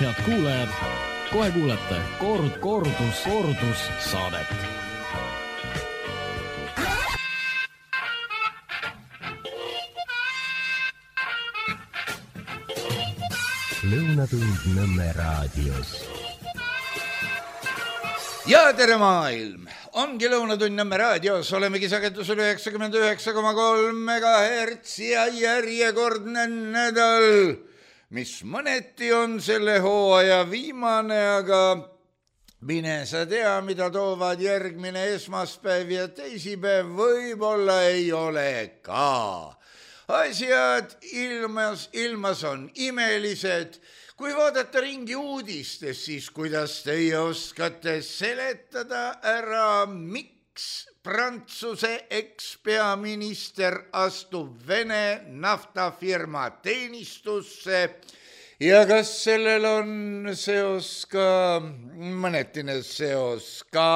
Head kuulajad, kohe kuulete kordus saadet. Lõunatund Nõmme raadios. Ja tere maailm! Ongi Lõunatund Nõmme raadios, olemegi sagedusel 99,3 MHz ja järjekordne nädal, mis mõneti on selle hooaja viimane, aga mine sa tea, mida toovad järgmine esmaspäev ja teisipäev, võib-olla ei ole ka. Asjad ilmas on imelised. Kui vaadata ringi uudistes, siis kuidas teie oskate seletada ära, miks Prantsuse ekspeaminister astub Vene naftafirma teenistusse ja kas sellel on seos ka, mõnetine seos ka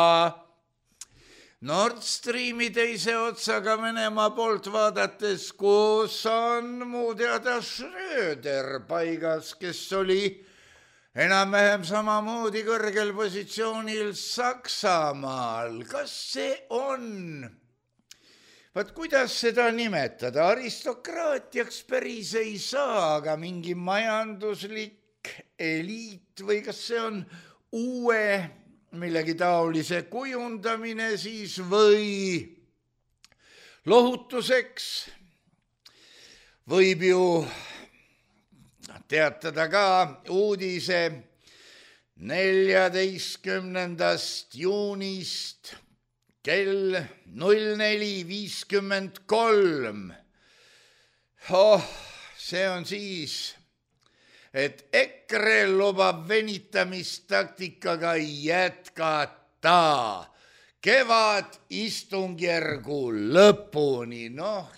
Nord Streami teise otsaga Venemaa poolt vaadates, kus on muu teada Schröder paigas, kes oli enam-vähem samamoodi kõrgel positsioonil Saksamaal. Kas see on? Vaat kuidas seda nimetada? Aristokraatiaks päris ei saa, aga mingi majanduslik eliit või kas see on uue millegi taolise kujundamine siis või lohutuseks võib ju teatada ka uudise 14. juunist kell 04.53. See on siis, et EKRE lubab venitamistaktikaga jätkata kevadistungjärgu lõpuni.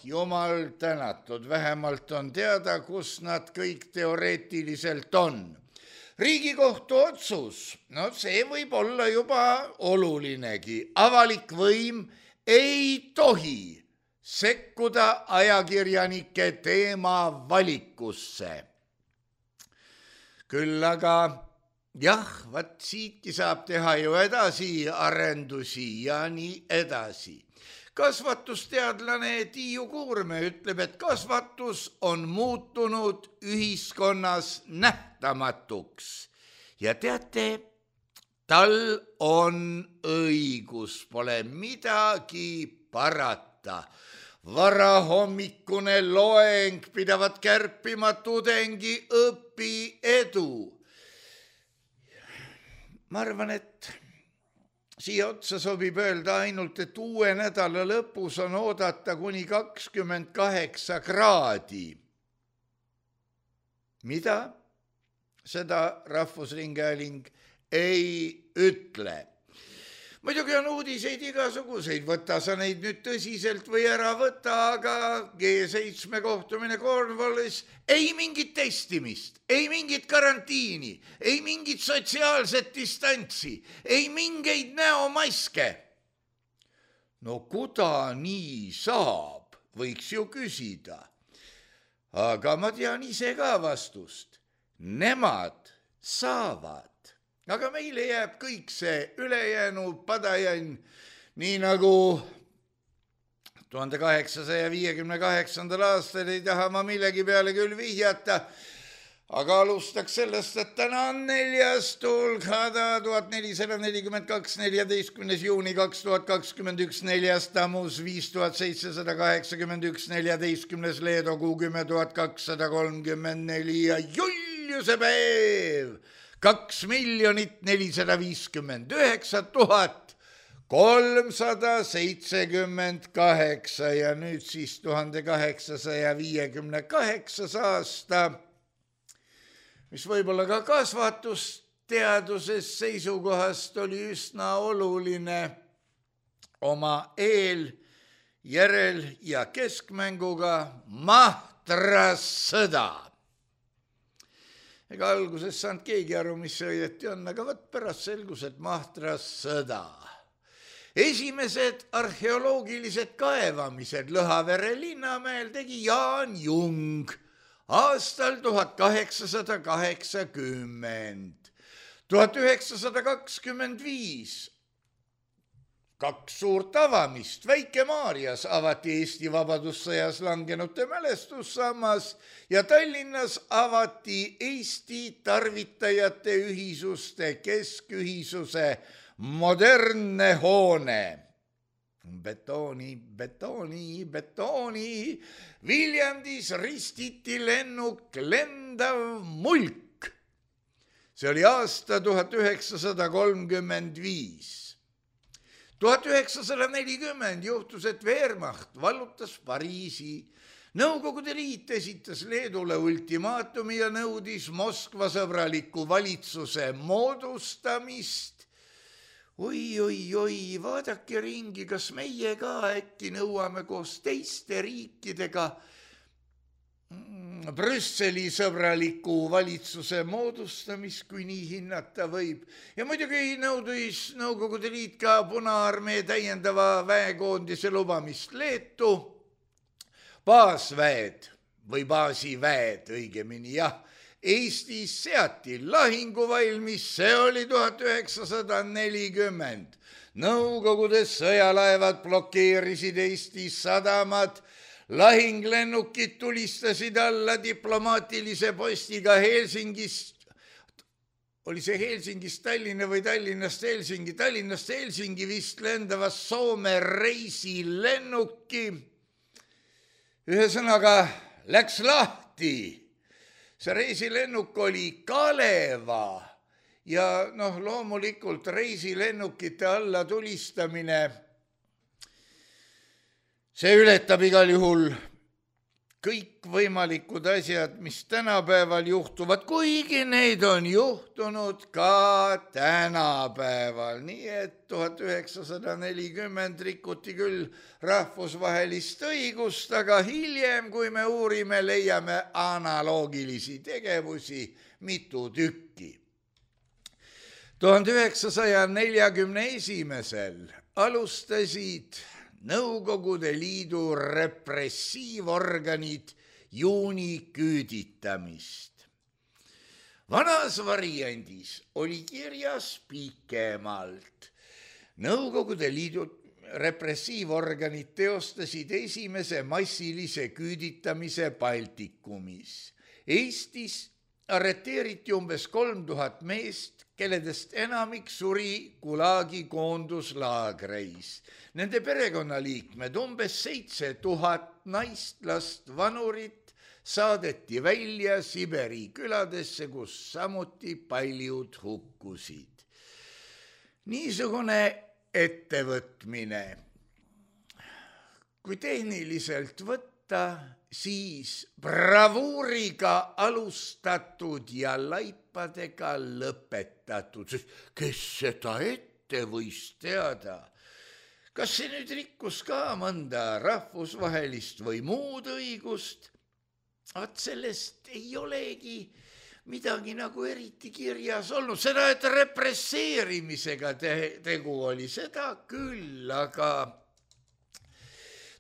Jumal tänatud, vähemalt on teada, kus nad kõik teoreetiliselt on. Riigikohtu otsus, see võib olla juba olulinegi. Avalik võim ei tohi sekkuda ajakirjanike teema valikusse. Küll aga vaat siitki saab teha ju edasi arendusi ja nii edasi. Kasvatusteadlane Tiiu Kuurme ütleb, et kasvatus on muutunud ühiskonnas nähtamatuks. Ja teate, tal on õigus, pole midagi parata. Varahommikune loeng pidavat kärpima tudengi õpiedu. Ma arvan, et siia otsa sobib öelda ainult, et uue nädala lõpus on oodata kuni 28 kraadi. Mida? Seda Rahvusringhääling ei ütle. Muidugi on uudiseid igasuguseid, võta sa neid nüüd tõsiselt või ära võta, aga G7 kohtumine Cornwallis, ei mingit testimist, ei mingit karantiini, ei mingit sotsiaalset distantsi, ei mingeid näomaske. Kuda nii saab, võiks ju küsida. Aga ma tean ise ka vastust. Nemad saavad. Aga meile jääb kõik see ülejäänu padajann, nii nagu 1858. aastal ei taha ma millegi peale küll vihjata, aga alustaks sellest, et täna on 4. tulkhada 1442, 14. juuni 2021, 4. tammus 5781, 14. leedokuu 10.234 ja Juliuse päev 2 459 378 ja nüüd siis 1858 aasta, mis võib-olla ka kasvatusteaduses seisukohast oli üsna oluline oma eel, järel ja keskmänguga Mahtras sõda. Ega alguses saanud keegi aru, mis see õieti on, aga võt pärast selgus, et Mahtras sõda. Esimesed arheoloogilised kaevamised Lõhavere linnamäel tegi Jaan Jung aastal 1880. 1925 kaks suurt avamist. Väike-Maarjas avati Eesti Vabadussõjas langenute mälestussammas ja Tallinnas avati Eesti tarvitajate ühisuste keskühisuse modernne hoone. Betooni. Viljandis ristiti lennuk lendav mulk. See oli aasta 1935. 1940 juhtus, et Wehrmacht vallutas Pariisi. Nõukogude Liit esitas Leedule ultimaatumi ja nõudis Moskva sõbraliku valitsuse moodustamist. Oi, vaadake ringi, kas meie ka äkki nõuame koos teiste riikidega Brüsseli sõbraliku valitsuse moodustamist, kui nii hinnata võib. Ja muidugi nõudis Nõukogude Liit ka Punaarmee täiendava väekoondise lubamist Leetu. Baasväed või baasiväed õigemini, jah. Eestis seati lahinguvalmis, see oli 1940. Nõukogude sõjalaevad blokeerisid Eesti sadamad, lahinglennukid tulistasid alla diplomaatilise postiga Helsingist. Oli see Helsingist Tallinna või Tallinnast Helsingi? Tallinnast Helsingi vist lendavas Soome reisilennuki. Ühesõnaga läks lahti. See reisilennuk oli Kaleva ja loomulikult reisilennukite alla tulistamine, see ületab igal juhul kõik võimalikud asjad, mis tänapäeval juhtuvad, kuigi neid on juhtunud ka tänapäeval. Nii et 1940 rikuti küll rahvusvahelist õigust, aga hiljem, kui me uurime, leiame analoogilisi tegevusi mitu tükki. 1941 alustasid Nõukogude Liidu repressiivorganid juuniküüditamist. Vanas variandis oli kirjas pikemalt. Nõukogude Liidu repressiivorganid teostasid esimese massilise küüditamise Baltikumis. Eestis arreteeriti umbes 3000 meest, kelledest enamik suri Gulagi koonduslaagreis. Nende perekonnaliikmed, umbes 7000 naist, last, vanurit saadeti välja Siberi küladesse, kus samuti paljud hukkusid. Niisugune ettevõtmine, kui tehniliselt võtta, siis bravuuriga alustatud ja laipadega lõpetatud, sest kes seda ette võis teada? Kas see nüüd rikkus ka mõnda rahvusvahelist või muud õigust? Vaat sellest ei olegi midagi nagu eriti kirjas olnud. Seda, et represseerimisega tegu oli, seda küll, aga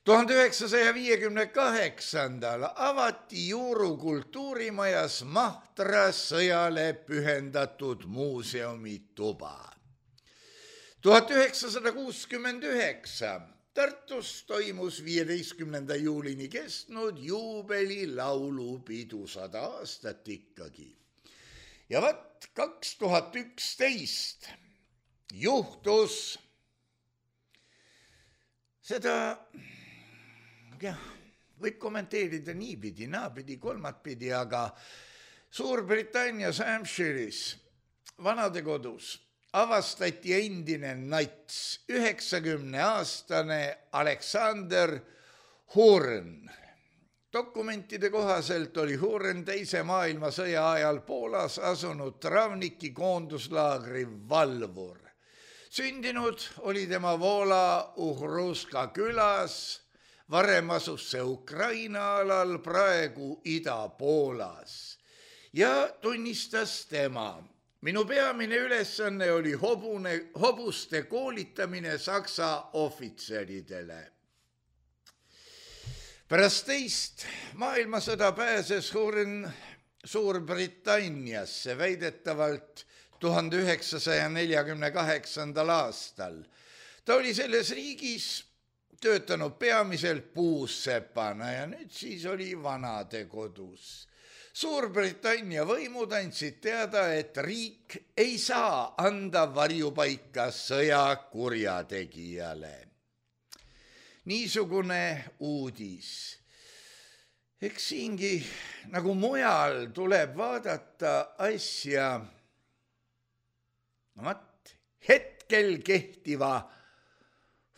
1958. avati Juuru kultuurimajas Mahtra sõjale pühendatud muuseumituba. 1969 Tartus toimus 15. juulini kestnud juubeli laulupidu, 100 aastat ikkagi. Ja vaat 2011 juhtus seda, võib kommenteerida niipidi, naapidi, kolmatpidi, aga Suurbritannias Hampshire'is vanadekodus avastati endine nats, 90-aastane Alexander Hurn. Dokumentide kohaselt oli Hurn teise maailmasõja ajal Poolas asunud Travniki koonduslaagri valvur. Sündinud oli tema Voola Uhruska külas, varem asus see Ukraina alal, praegu Ida-Poolas. Ja tunnistas tema: minu peamine ülesanne oli hobuste koolitamine Saksa ohvitseridele. Pärast teist maailmasõda pääses Suurbritanniasse väidetavalt 1948. aastal. Ta oli selles riigis töötanud peamiselt puussepana ja nüüd siis oli vanadekodus. Suurbritannia võimud andsid teada, et riik ei saa anda varjupaika sõjakurjategijale. Niisugune uudis. Eks siingi nagu mujal tuleb vaadata asja hetkel kehtiva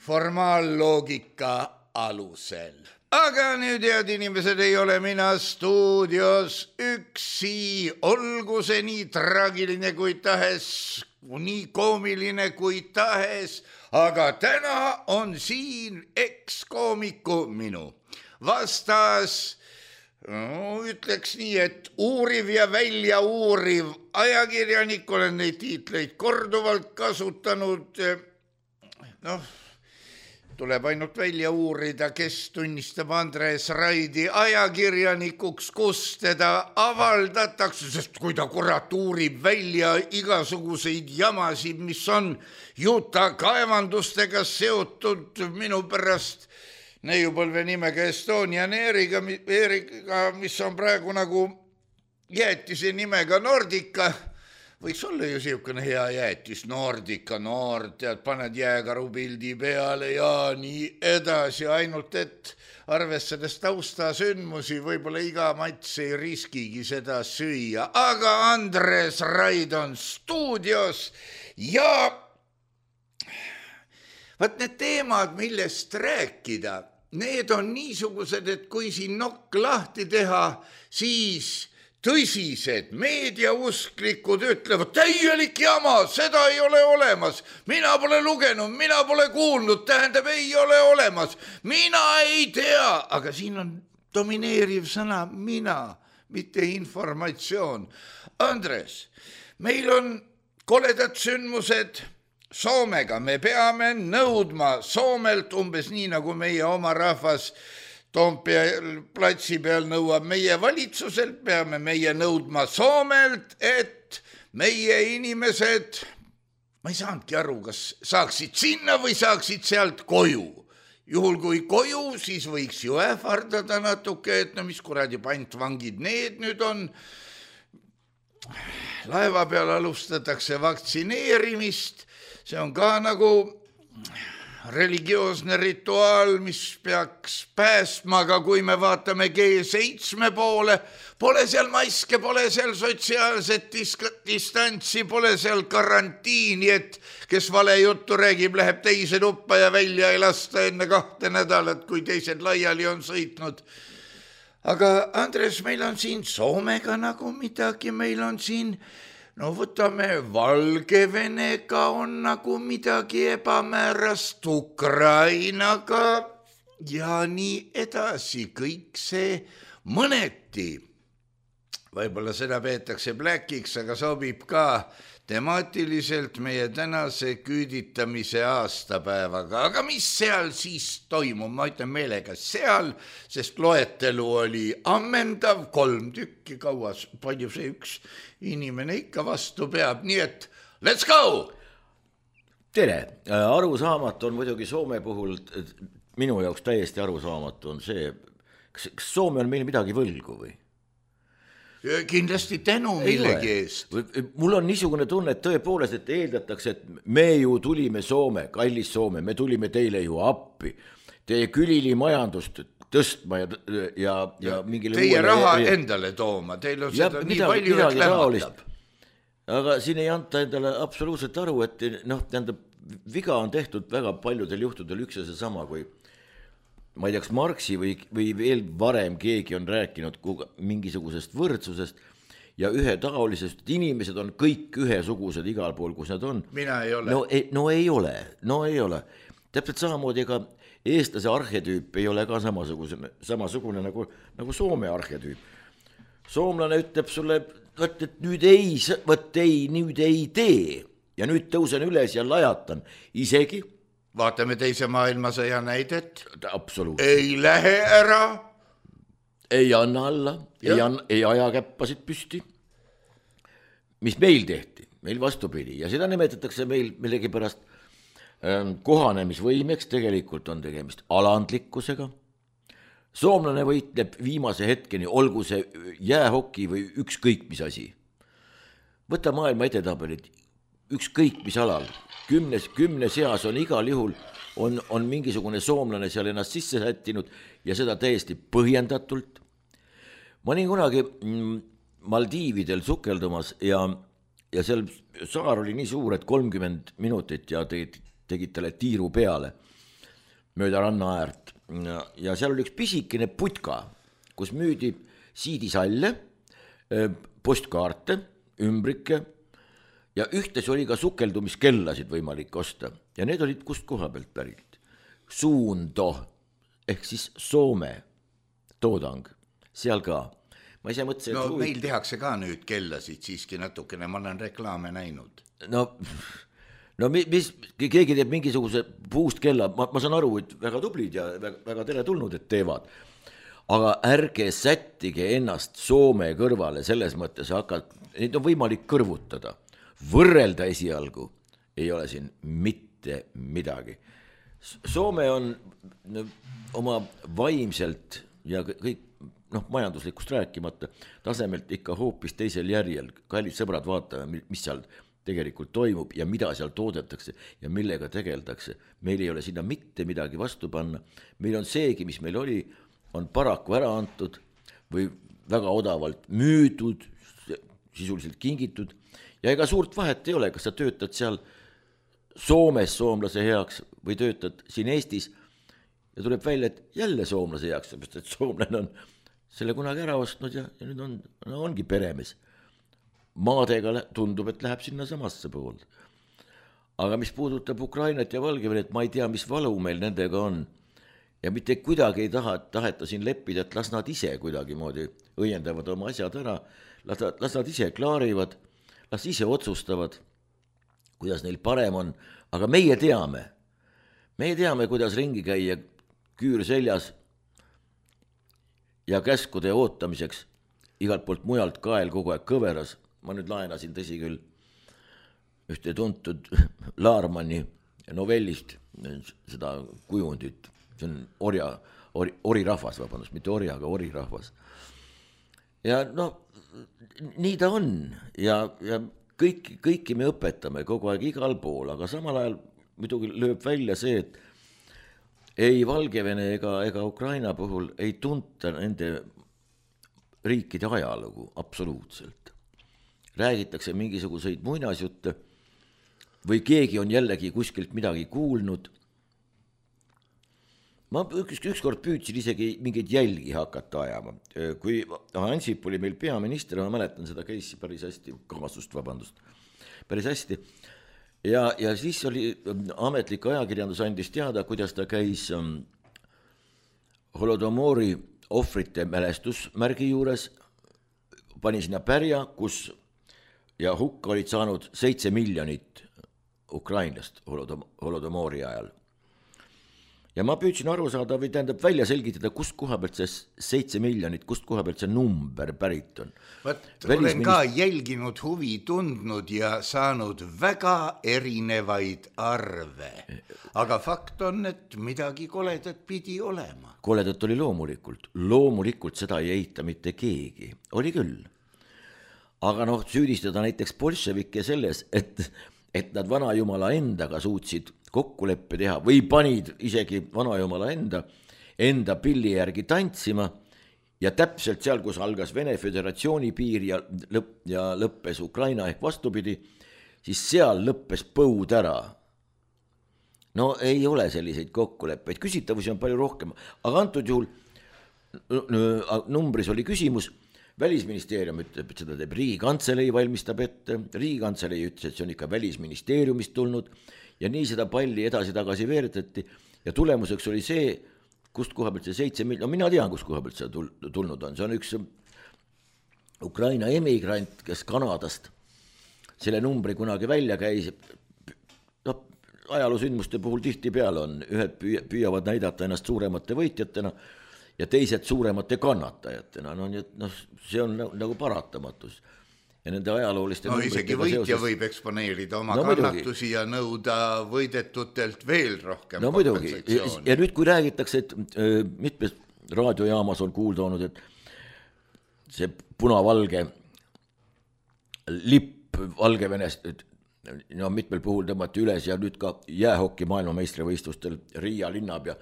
formaalloogika alusel. Aga nüüd, head inimesed, ei ole mina stuudios üksi, olgu see nii traagiline kui tahes, nii koomiline kui tahes, aga täna on siin ekskoomiku minu vastas, ütleks nii, et uuriv ja välja uuriv ajakirjanik, olen neid tiitleid korduvalt kasutanud, tuleb ainult välja uurida, kes tunnistab Andres Raidi ajakirjanikuks, kus teda avaldatakse, sest kui ta kurat uurib välja igasuguseid jamasid, mis on Utah kaevandustega seotud minu pärast neiupõlve nimega Estonian Airiga, mis on praegu nagu jäätise nimega Nordica. Võiks olla ju siukene hea jäätis, Nordica, tead, paned jääkarupildi peale ja nii edasi, ainult et arvestades taustasündmusi võib-olla iga mats ei riskigi seda süüa. Aga Andres Raid on stuudios ja vaat need teemad, millest rääkida, need on niisugused, et kui siin nokk lahti teha, siis tõsised meediausklikud ütlevad, täielik jama, seda ei ole olemas, mina pole lugenud, mina pole kuulnud, tähendab, ei ole olemas, mina ei tea, aga siin on domineeriv sõna mina, mitte informatsioon. Andres, meil on koledad sündmused Soomega, me peame nõudma Soomelt umbes nii, nagu meie oma rahvas Toompea platsi peal nõuab meie valitsuselt, peame meie nõudma Soomelt, et meie inimesed, ma ei saanudki aru, kas saaksid sinna või saaksid sealt koju. Juhul kui koju, siis võiks ju ähvardada natuke, et no mis kuradi pantvangid need nüüd on. Laeva peal alustatakse vaktsineerimist, see on ka nagu religioosne rituaal, mis peaks päästma, aga kui me vaatame G7 poole, pole seal maske, pole seal sotsiaalset distantsi, pole seal karantiini, et kes vale juttu räägib, läheb teise tuppa ja välja ei lasta enne 2 nädalat, kui teised laiali on sõitnud. Aga Andres, meil on siin Soomega nagu midagi, meil on siin võtame Valgevenega on nagu midagi ebamäärast, Ukrainaga ja nii edasi, kõik see mõneti. Võib-olla seda peetakse Blackiks, aga sobib ka temaatiliselt meie tänase küüditamise aastapäevaga. Aga mis seal siis toimub? Ma ütlen meelega seal, sest loetelu oli ammendav, 3 tükki kauas, palju see üks inimene ikka vastu peab, nii et let's go! Tere, arusaamatu on muidugi Soome puhul, minu jaoks täiesti arusaamatu on see, kas Soome on meil midagi võlgu või? Kindlasti tänu millegi eest. Mul on niisugune tunne, et tõepoolest, et eeldatakse, et me ju tulime Soome, kallis Soome, me tulime teile ju appi, teie külili majandust tõstma ja mingile teie raha endale tooma, teil on seda nii palju, et lämmatab. Aga siin ei anta endale absoluutselt aru, et tähendab, viga on tehtud väga paljudel juhtudel üks ja see sama, kui ma ei teaks, Marxi või veel varem keegi on rääkinud mingisugusest võrdsusest ja ühetaolisest, inimesed on kõik ühesugused igal pool, kus nad on. Mina ei ole. No ei ole. Täpselt samamoodi, ega eestlase arhetüüp ei ole ka samasugune nagu Soome arhetüüp. Soomlane ütleb sulle, et nüüd ei tee ja nüüd tõusen üles ja lajatan isegi, vaatame teise maailmasõja näidet. Absoluutselt. Ei lähe ära. Ei anna alla, ei aja käppasid püsti. Mis meil tehti? Meil vastupidi ja seda nimetatakse meil millegipärast kohanemisvõimeks, tegelikult on tegemist alandlikkusega. Soomlane võitleb viimase hetkeni, olgu see jäähoki või ükskõik mis asi. Võta maailma edetabelid, ükskõik mis alal, kümne seas on igal juhul on mingisugune soomlane seal ennast sisse sättinud ja seda täiesti põhjendatult. Ma olin kunagi Maldiividel sukeldumas ja seal saar oli nii suur, et 30 minutit ja tegid talle tiiru peale mööda ranna äärt ja seal oli üks pisikene putka, kus müüdi siidisalle, postkaarte, ümbrike ja ühtes oli ka sukeldumiskellasid võimalik osta ja need olid kust koha pealt pärit. Suundo ehk siis Soome toodang, seal ka. Ma ise mõtlesin, no meil tehakse ka nüüd kellasid siiski natukene, ma olen reklaame näinud. No mis, keegi teeb mingisuguse puust kella, ma saan aru, et väga tublid ja väga tere tulnud, et teevad. Aga ärge sättige ennast Soome kõrvale, selles mõttes neid on võimalik kõrvutada. Võrrelda esialgu ei ole siin mitte midagi. Soome on oma vaimselt ja kõik majanduslikust rääkimata tasemelt ikka hoopis teisel järjel. Kallid sõbrad, vaatame, mis seal tegelikult toimub ja mida seal toodetakse ja millega tegeldakse. Meil ei ole sinna mitte midagi vastu panna. Meil on seegi, mis meil oli, on paraku ära antud või väga odavalt müüdud, sisuliselt kingitud ja ega suurt vahet ei ole, kas sa töötad seal Soomes soomlase heaks või töötad siin Eestis ja tuleb välja, et jälle soomlase heaks, sest soomlane on selle kunagi ära ostnud ja nüüd ongi peremees. Maadega tundub, et läheb sinna samasse pool. Aga mis puudutab Ukrainat ja Valgevenet, ma ei tea, mis valu meil nendega on. Ja mitte kuidagi ei taheta siin leppida, et las nad ise kuidagi moodi õiendavad oma asjad ära, las nad ise klaarivad, las ise otsustavad, kuidas neil parem on. Aga meie teame, kuidas ringi käia küür seljas ja käskude ootamiseks igalt poolt mujalt kael kogu aeg kõveras. Ma nüüd laenasin tõsi küll ühte tuntud Laarmani novellist seda kujundit. See on orirahvas, vabandust, mitte ori, aga orirahvas. Ja nii ta on ja kõiki me õpetame kogu aeg igal pool, aga samal ajal muidugi lööb välja see, et ei Valgevene ega Ukraina puhul ei tunta nende riikide ajalugu absoluutselt. Räägitakse mingisuguseid muinasjutte või keegi on jällegi kuskilt midagi kuulnud. Ma ükskord püüdsin isegi mingeid jälgi hakata ajama. Kui Ansip oli meil peaminister, ma mäletan seda case'i päris hästi, päris hästi. Ja siis oli ametlik ajakirjandus andis teada, kuidas ta käis Holodomori ohvrite mälestusmärgi juures, pani sinna pärja, kus ja hukka olid saanud 7 miljonit ukrainlast Holodomori ajal. Ja ma püüdsin aru saada või tähendab välja selgitada, kust koha pealt see 7 miljonit, kust koha pealt see number pärit on. Olen ka jälginud, huvi tundnud ja saanud väga erinevaid arve. Aga fakt on, et midagi koledat pidi olema. Koledat oli loomulikult seda ei eita mitte keegi, oli küll. Aga süüdistada näiteks bolševikke selles, et nad vanajumala endaga suutsid kokkuleppe teha või panid isegi vanajumala enda pilli järgi tantsima ja täpselt seal, kus algas Vene Föderatsiooni piir ja lõppes Ukraina ehk vastupidi, siis seal lõppes põud ära. No ei ole selliseid kokkuleppeid, küsitavusi on palju rohkem, aga antud juhul numbris oli küsimus, Välisministeerium ütleb, et seda teeb Riigikantselei, valmistab ette, Riigikantselei ütles, et see on ikka Välisministeeriumist tulnud ja nii seda palli edasi-tagasi veeretati ja tulemuseks oli see, kust koha pealt see 7 miljonit, mina tean, kust koha pealt see tulnud on, see on üks Ukraina emigrant, kes Kanadast selle numbri kunagi välja käis, ajaloosündmuste puhul tihtipeale on, ühed püüavad näidata ennast suuremate võitjatena ja teised suuremate kannatajatena, no nii et noh, see on nagu paratamatus. Ja nende ajalooliste isegi võitja võib eksponeerida oma kannatusi ja nõuda võidetutelt veel rohkem kompensatsiooni. Ja nüüd, kui räägitakse, et mitmes raadiojaamas on kuulda olnud, et see punavalge lipp Valgevenest mitmel puhul tõmmati üles ja nüüd ka jäähokki maailmameistrivõistlustel Riia linnapea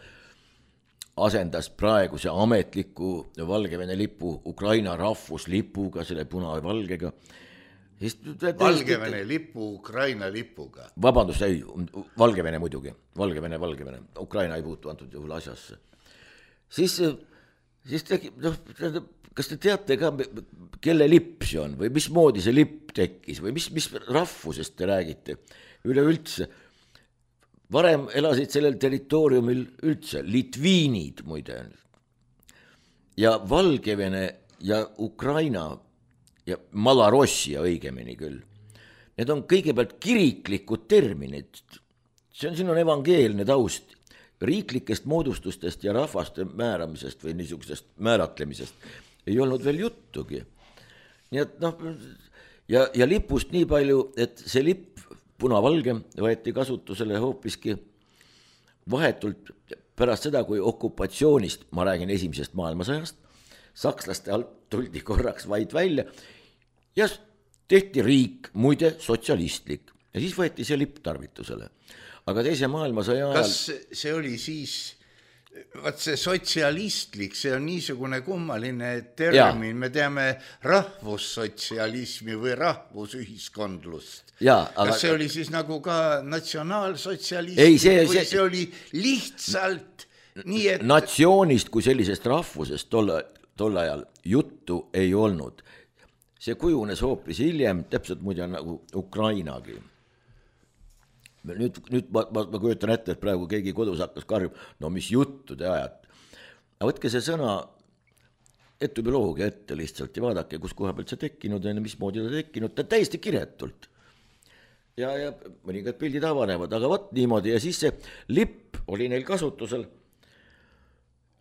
asendas praeguse ametliku Valgevene lipu Ukraina rahvuslipuga, selle punavalgega. Valgevene lipu Ukraina lipuga. Vabandust, ei, Valgevene muidugi. Valgevene. Ukraina ei puutu antud juhul asjasse. Siis kas te teate ka, kelle lipp see on või mismoodi see lipp tekkis või mis rahvusest te räägite üleüldse? Varem elasid sellel territooriumil üldse litviinid muide. Ja Valgevene ja Ukraina ja Malarossia õigemini küll. Need on kõigepealt kiriklikud terminid. Siin on evangeelne taust. Riiklikest moodustustest ja rahvaste määramisest või niisugusest määratlemisest ei olnud veel juttugi. Nii et ja lipust nii palju, et see lipp punavalge võeti kasutusele hoopiski vahetult pärast seda, kui okupatsioonist, ma räägin esimesest maailmasõjast, sakslaste alt tuldi korraks vaid välja ja tehti riik, muide sotsialistlik. Ja siis võeti see lipp tarvitusele. Aga teise maailmasõja ajal... Kas see oli siis... Vaat see sotsialistlik, see on niisugune kummaline termin, me teame rahvussotsialismi või rahvusühiskondlust. Kas see oli siis nagu ka natsionaalsotsialism või see oli lihtsalt nii, et... Natsioonist kui sellisest rahvusest tol ajal juttu ei olnud. See kujunes hoopis hiljem, täpselt muide nagu Ukrainagi. Nüüd ma kujutan ette, et praegu keegi kodus hakkas karjub, no mis juttu te ajad. Aga võtke see sõna etümoloogia ette lihtsalt ja vaadake, kus koha pealt see tekkinud ja mismoodi ta tekkinud, ta täiesti kiretult. Ja mõningad pildid avanevad, aga võt niimoodi ja siis see lipp oli neil kasutusel.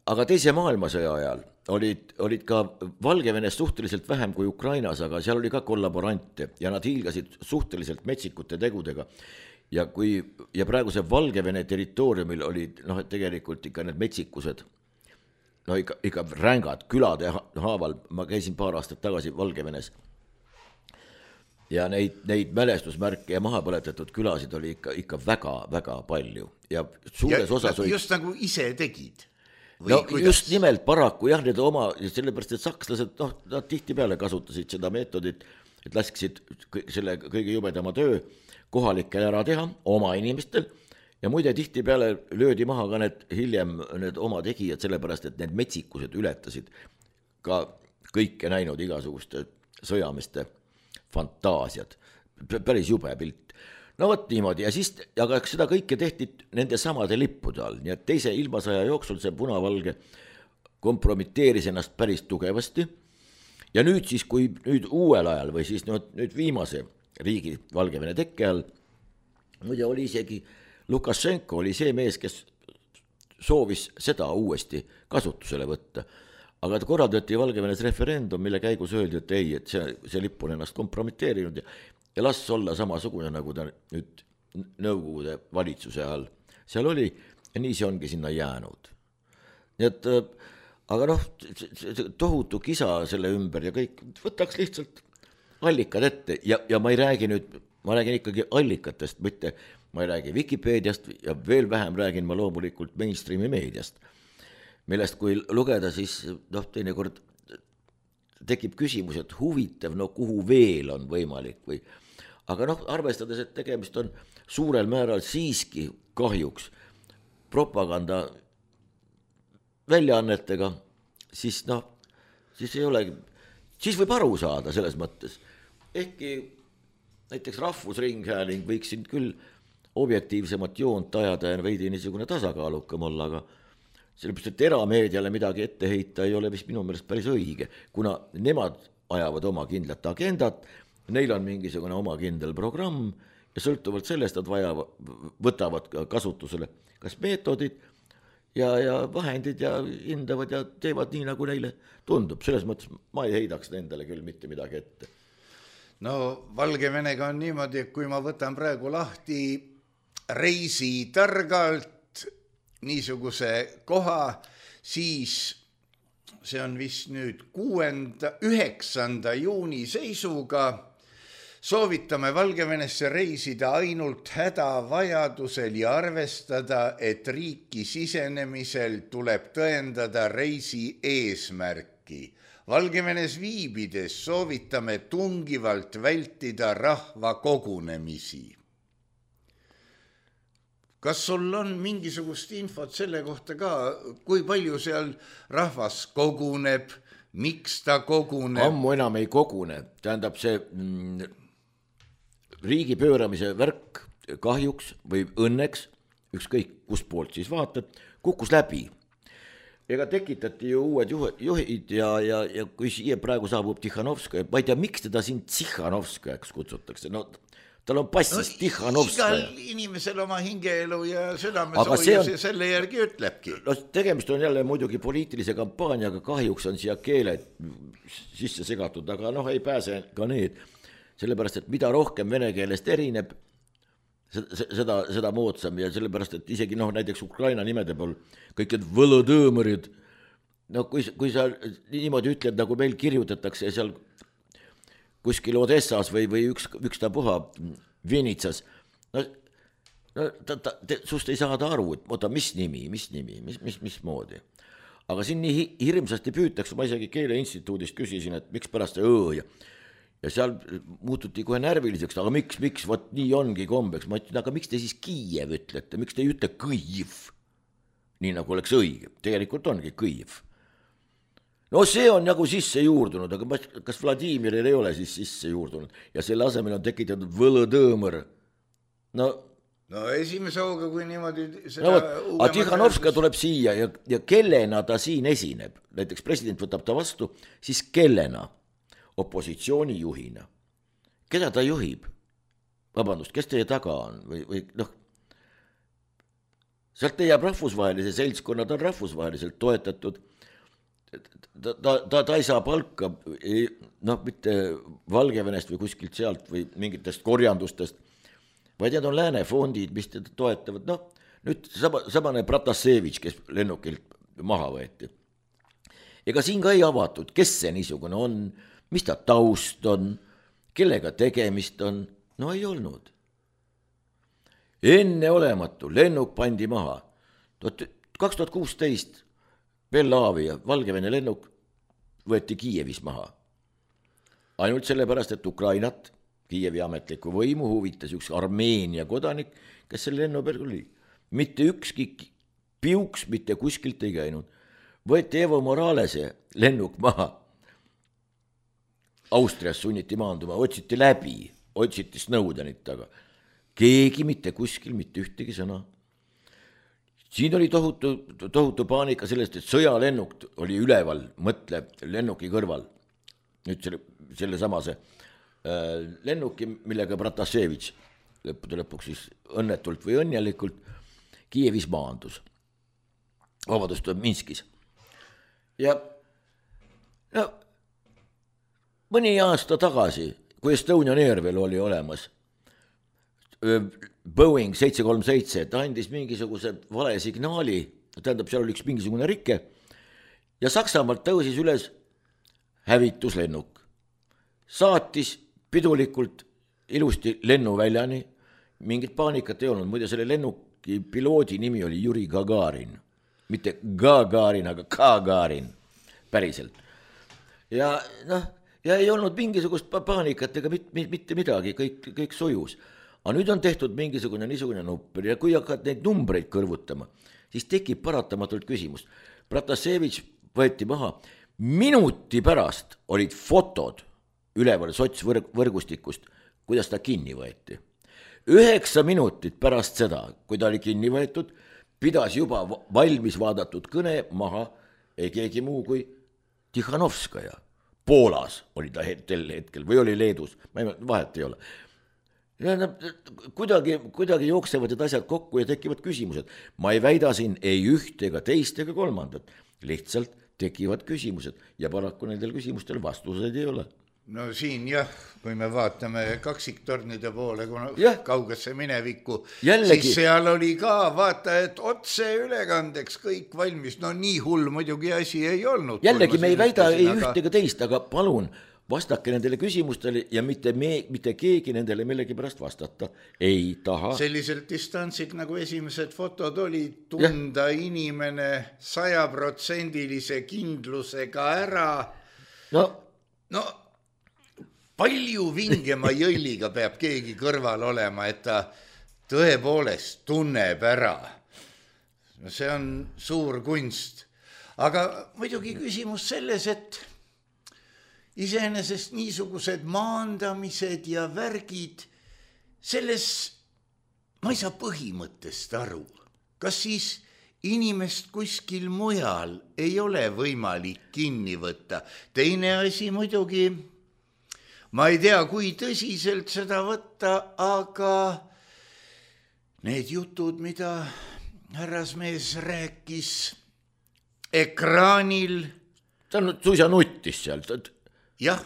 Aga teise maailmasõja ajal olid ka Valgevenes suhteliselt vähem kui Ukrainas, aga seal oli ka kollaborante ja nad hiilgasid suhteliselt metsikute tegudega. Ja praegu see Valgevene territooriumil olid tegelikult ikka need metsikused, ikka rängad külade haaval, ma käisin paar aastat tagasi Valgevenes ja neid mälestusmärke ja maha põletatud külasid oli ikka väga-väga palju ja suures osas olid... Just nagu ise tegid? Just nimelt paraku jah, need oma, sellepärast et sakslased, nad tihti peale kasutasid seda meetodit, et lasksid selle kõige jubedama töö kohalikel ära teha oma inimestel ja muide tihti peale löödi maha ka need oma tegijad, sellepärast et need metsikused ületasid ka kõike näinud igasuguste sõjameeste fantaasiad. Päris jube pilt. No võt niimoodi ja siis, aga seda kõike tehti nende samade lippude all, nii et teise ilmasõja jooksul see punavalge kompromiteeris ennast päris tugevasti ja nüüd siis, kui nüüd uuel ajal või siis nüüd viimase riigi Valgevene tekke all, muide oli isegi Lukašenko oli see mees, kes soovis seda uuesti kasutusele võtta. Aga korraldati Valgevenes referendum, mille käigus öeldi, et ei, et see lipp on ennast kompromiteerinud ja las olla samasugune, nagu ta nüüd Nõukogude valitsuse all seal oli ja nii see ongi sinna jäänud. Nii et, aga tohutu kisa selle ümber ja kõik võtaks lihtsalt allikad ette ja ma ei räägi nüüd, ma räägin ikkagi allikatest, mitte ma ei räägi Wikipeediast ja veel vähem räägin ma loomulikult mainstreami meediast, millest kui lugeda, siis teinekord tekib küsimus, et huvitav, kuhu veel on võimalik või, aga arvestades, et tegemist on suurel määral siiski kahjuks propaganda väljaannetega, siis ei olegi, siis võib aru saada selles mõttes. Ehkki näiteks Rahvusringhääling võiks siin küll objektiivsemat joont ajada ja veidi niisugune tasakaalukam olla, aga sellepärast, et erameediale midagi ette heita ei ole vist minu meelest päris õige, kuna nemad ajavad oma kindlat agendat, neil on mingisugune oma kindel programm ja sõltuvalt sellest nad võtavad kasutusele kas meetodid ja vahendid ja hindavad ja teevad nii, nagu neile tundub. Selles mõttes ma ei heidaks nendele küll mitte midagi ette. No Valgevenega on niimoodi, et kui ma võtan praegu lahti Reisi targalt niisuguse koha, siis see on vist nüüd 9. juuni seisuga. Soovitame Valgevenesse reisida ainult hädavajadusel ja arvestada, et riiki sisenemisel tuleb tõendada reisi eesmärki. Valgevenes viibides soovitame tungivalt vältida rahva kogunemisi. Kas sul on mingisugust infot selle kohta ka, kui palju seal rahvas koguneb, miks ta koguneb? Ammu enam ei kogune, tähendab see riigi pööramise värk kahjuks või õnneks, ükskõik kust poolt siis vaatad, kukkus läbi. Ega tekitati ju uued juhid ja kui siia praegu saabub Tihhanovskaja, ma ei tea, miks teda siin Tihhanovskajaks kutsutakse, no tal on passis Tihhanovskaja. Igal inimesel oma hingeelu ja südamesoojus ja selle järgi ütlebki. No tegemist on jälle muidugi poliitilise kampaaniaga, kahjuks on siia keeled sisse segatud, aga ei pääse ka need, sellepärast, et mida rohkem vene keelest erineb, seda moodsam ja sellepärast, et isegi näiteks Ukraina nimede pool kõik need Volodõmõrid, kui sa niimoodi ütled, nagu meil kirjutatakse seal kuskil Odessas või ükstapuha Vinitsas, sust ei saada aru, et oota, mis nimi, mismoodi. Aga siin nii hirmsasti püütakse, ma isegi Keeleinstituudist küsisin, et miks pärast see ja seal muututi kohe närviliseks, aga miks, vot nii ongi kombeks. Ma ütlen, aga miks te siis Kiiev ütlete, miks te ei ütle Kõiv, nii nagu oleks õige, tegelikult ongi Kõiv. No see on nagu sisse juurdunud, aga kas Vladimiril ei ole siis sisse juurdunud ja selle asemel on tekitatud Volodõmõr. No esimese hooga, kui niimoodi aga Tihhanovskaja tuleb siia ja kellena ta siin esineb, näiteks president võtab ta vastu, siis kellena? Opositsiooni juhina. Keda ta juhib? Vabandust, kes teie taga on? Või sealt jääb rahvusvahelise seltskonnad on rahvusvaheliselt toetatud. Ta ei saa palka mitte Valgevenest või kuskilt sealt või mingitest korjandustest, vaid need on lääne fondid, mis teda toetavad. Nüüd samane Pratasevitš, kes lennukilt maha võeti. Ega siin ka ei avatud, kes see niisugune on, mis ta taust on, kellega tegemist on, ei olnud. Enneolematu, lennuk pandi maha. 2016 Belavia, Valgevene lennuk võeti Kiievis maha. Ainult sellepärast, et Ukrainat, Kiievi ametliku võimu huvitas üks Armeenia kodanik, kes selle lennu peal oli. Mitte ükski piuks mitte kuskilt ei käinud. Võeti Evo Moralese lennuk maha. Austrias sunniti maanduma, otsiti läbi, otsiti Snowdenit taga. Keegi mitte kuskil, mitte ühtegi sõna. Siin oli tohutu paanika sellest, et sõjalennuk oli üleval, mõtle lennuki kõrval. Nüüd selle samase lennuki, millega Pratasevitš lõpuks siis õnnetult või õnnelikult Kiievis maandus. Vabadust Minskis. Ja mõni aasta tagasi, kui Estonian Air veel oli olemas, Boeing 737, ta andis mingisuguse vale signaali, tähendab, seal oli üks mingisugune rike ja Saksamaalt tõusis üles hävituslennuk. Saatis pidulikult ilusti lennuväljani, mingit paanikat ei olnud, muide selle lennuki piloodi nimi oli Juri Gagarin, mitte Gagarin, aga Gagarin, päriselt. Ja ei olnud mingisugust paanikat ega mitte midagi, kõik sujus. Aga nüüd on tehtud mingisugune niisugune number ja kui hakkad neid numbreid kõrvutama, siis tekib paratamatult küsimus. Pratasevitš võeti maha, minuti pärast olid fotod üleval sotsvõrgustikust, kuidas ta kinni võeti. 9 minutit pärast seda, kui ta oli kinni võetud, pidas juba valmis vaadatud kõne maha ei keegi muu kui Tihhanovskaja. Poolas oli ta hetkel või oli Leedus, vahet ei ole. kuidagi jooksevad need asjad kokku ja tekivad küsimused. Ma ei väida siin ei üht ega teist ega kolmandat, lihtsalt tekivad küsimused ja paraku nendel küsimustel vastuseid ei ole. No siin jah, kui me vaatame kaksiktornide poole, kuna kaugesse minevikku, siis seal oli ka vaata, et otse ülekandeks kõik valmis. No nii hull muidugi asi ei olnud. Jällegi me ei väida ei üht ega teist, aga palun vastake nendele küsimustele ja mitte keegi nendele millegi pärast vastata ei taha. Selliselt distantsilt nagu esimesed fotod oli tunda inimene 100% kindlusega ära. No palju vingema jõlliga peab keegi kõrval olema, et ta tõepoolest tunneb ära. See on suur kunst. Aga muidugi küsimus selles, et iseenesest niisugused maandamised ja värgid, selles ma ei saa põhimõttest aru. Kas siis inimest kuskil mujal ei ole võimalik kinni võtta? Teine asi muidugi, ma ei tea, kui tõsiselt seda võtta, aga need jutud, mida härrasmees rääkis ekraanil. Ta suisa nuttis seal. Jah.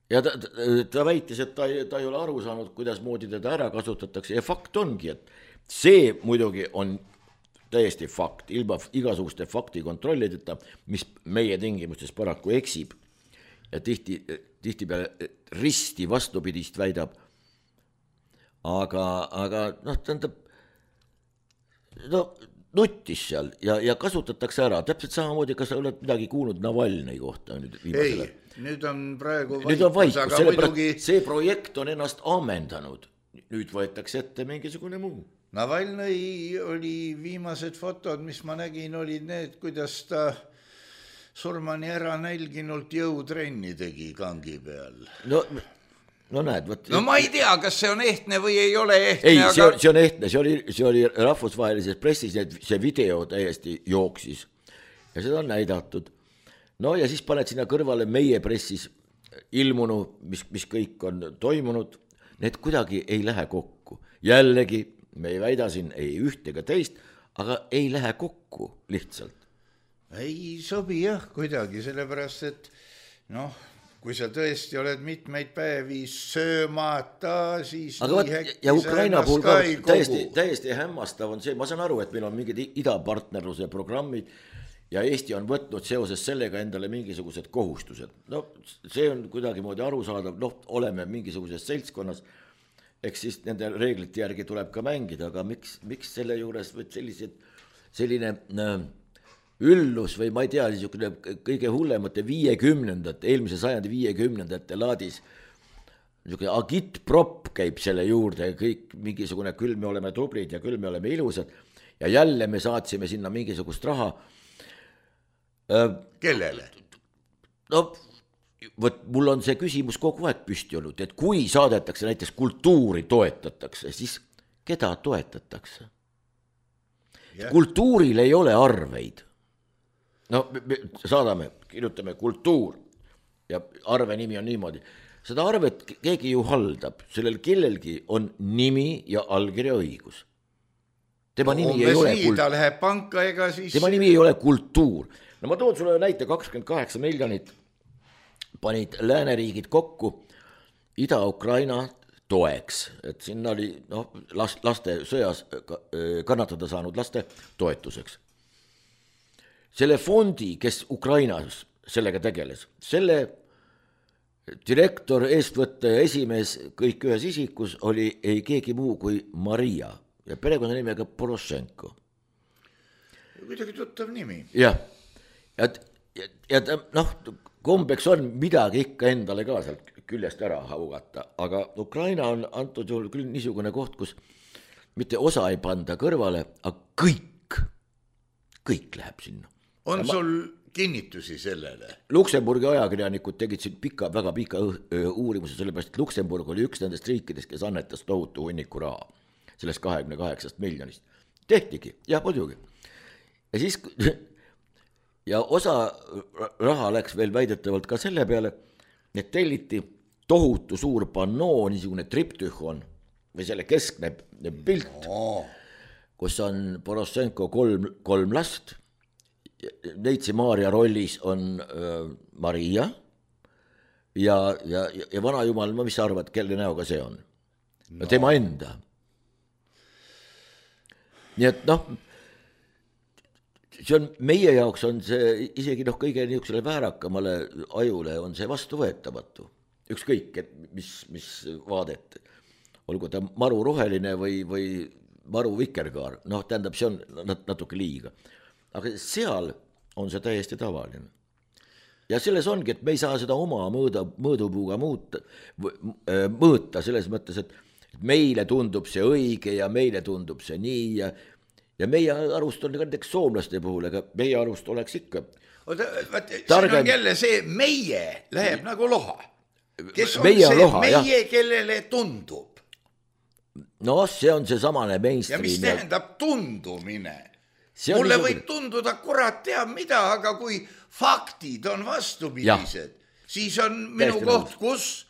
Ja ta väitis, et ta ei ole aru saanud, kuidas moodi teda ära kasutatakse ja fakt ongi, et see muidugi on täiesti fakt, ilma igasuguste fakti kontrollideta, mis meie tingimustes paraku eksib ja tihti peale risti vastupidist väidab. Aga tähendab, nuttis seal ja kasutatakse ära. Täpselt samamoodi, kas sa oled midagi kuulnud Navalnõi kohta? Ei, nüüd on praegu vaikus, muidugi... see projekt on ennast ammendanud. Nüüd võetakse ette mingisugune muu. Navalnõi oli viimased fotod, mis ma nägin, olid need, kuidas ta surmani ära nälginult jõutrenni tegi kangi peal. No näed, võt... No ma ei tea, kas see on ehtne või ei ole ehtne. Ei, see on ehtne, see oli rahvusvahelises pressis, see video täiesti jooksis ja seda on näidatud. No ja siis paned sinna kõrvale meie pressis ilmunu, mis kõik on toimunud, need kuidagi ei lähe kokku. Jällegi, me ei väida siin ei üht ega teist, aga ei lähe kokku lihtsalt. Ei sobi jah kuidagi, sellepärast, et kui sa tõesti oled mitmeid päevi söömata, siis ja Ukraina puhul ka täiesti hämmastav on see, ma saan aru, et meil on mingid idapartnerluse programmid ja Eesti on võtnud seoses sellega endale mingisugused kohustused. No see on kuidagi moodi arusaadav, oleme mingisuguses seltskonnas, eks siis nende reeglite järgi tuleb ka mängida, aga miks selle juures selline üllus või ma ei tea, niisugune kõige hullemate 50-ndate, eelmise sajandi 50-ndate laadis, niisugune agitprop käib selle juurde, kõik mingisugune küll me oleme tublid ja küll me oleme ilusad ja jälle me saatsime sinna mingisugust raha. Kellele? Mul on see küsimus kogu aeg püsti olnud, et kui saadetakse näiteks kultuuri toetatakse, siis keda toetatakse? Kultuuril ei ole arveid. Me saadame, kirjutame kultuur ja arve nimi on niimoodi. Seda arvet keegi ju haldab, sellel kellelgi on nimi ja allkirja õigus. Tema nimi ei ole kultuur. No ma toon sulle näite 28 miljonit panid lääneriigid kokku Ida-Ukraina toeks, et sinna oli laste sõjas kannatada saanud laste toetuseks. Selle fondi, kes Ukrainas sellega tegeles, selle direktor, eestvõtte esimees kõik ühes isikus oli ei keegi muu kui Maria ja perekonna nimega Poroshenko. Kuidagi tuttav nimi. Jah, ja kombeks on midagi ikka endale ka sealt küljest ära haugata, aga Ukraina on antud juhul küll niisugune koht, kus mitte osa ei panda kõrvale, aga kõik läheb sinna. On sul kinnitusi sellele? Luksemburgi ajakirjanikud tegid siin väga pika uurimuse, sellepärast, et Luksemburg oli üks nendest riikidest, kes annetas tohutu hunniku raha, sellest 28 miljonist. Tehtigi, jah, muidugi. Ja siis, ja osa raha läks veel väidetavalt ka selle peale, et telliti tohutu suur pannoo, niisugune triptühon, või selle keskne pilt, kus on Porošenko kolm last. Neitsi Maarja rollis on Maria ja vanajumal, mis sa arvad, kelle näoga see on? No tema enda. Nii et see on meie jaoks on see isegi kõige niisugusele väärakamale ajule on see vastuvõetamatu. Ükskõik, et mis vaadet, olgu ta maru roheline või maru vikerkaar, tähendab, see on natuke liiga. Aga seal on see täiesti tavaline. Ja selles ongi, et me ei saa seda oma mõõdupuuga mõõta selles mõttes, et meile tundub see õige ja meile tundub see nii ja meie arust on ka näiteks soomlaste puhul, aga meie arust oleks ikka siin on jälle see meie läheb nagu loha. Kes on meie see loha, meie, kellele tundub? No see on see samane mainstream. Ja mis tähendab tundumine? Mulle võib tunduda kurat teab mida, aga kui faktid on vastupidised, siis on minu koht, kus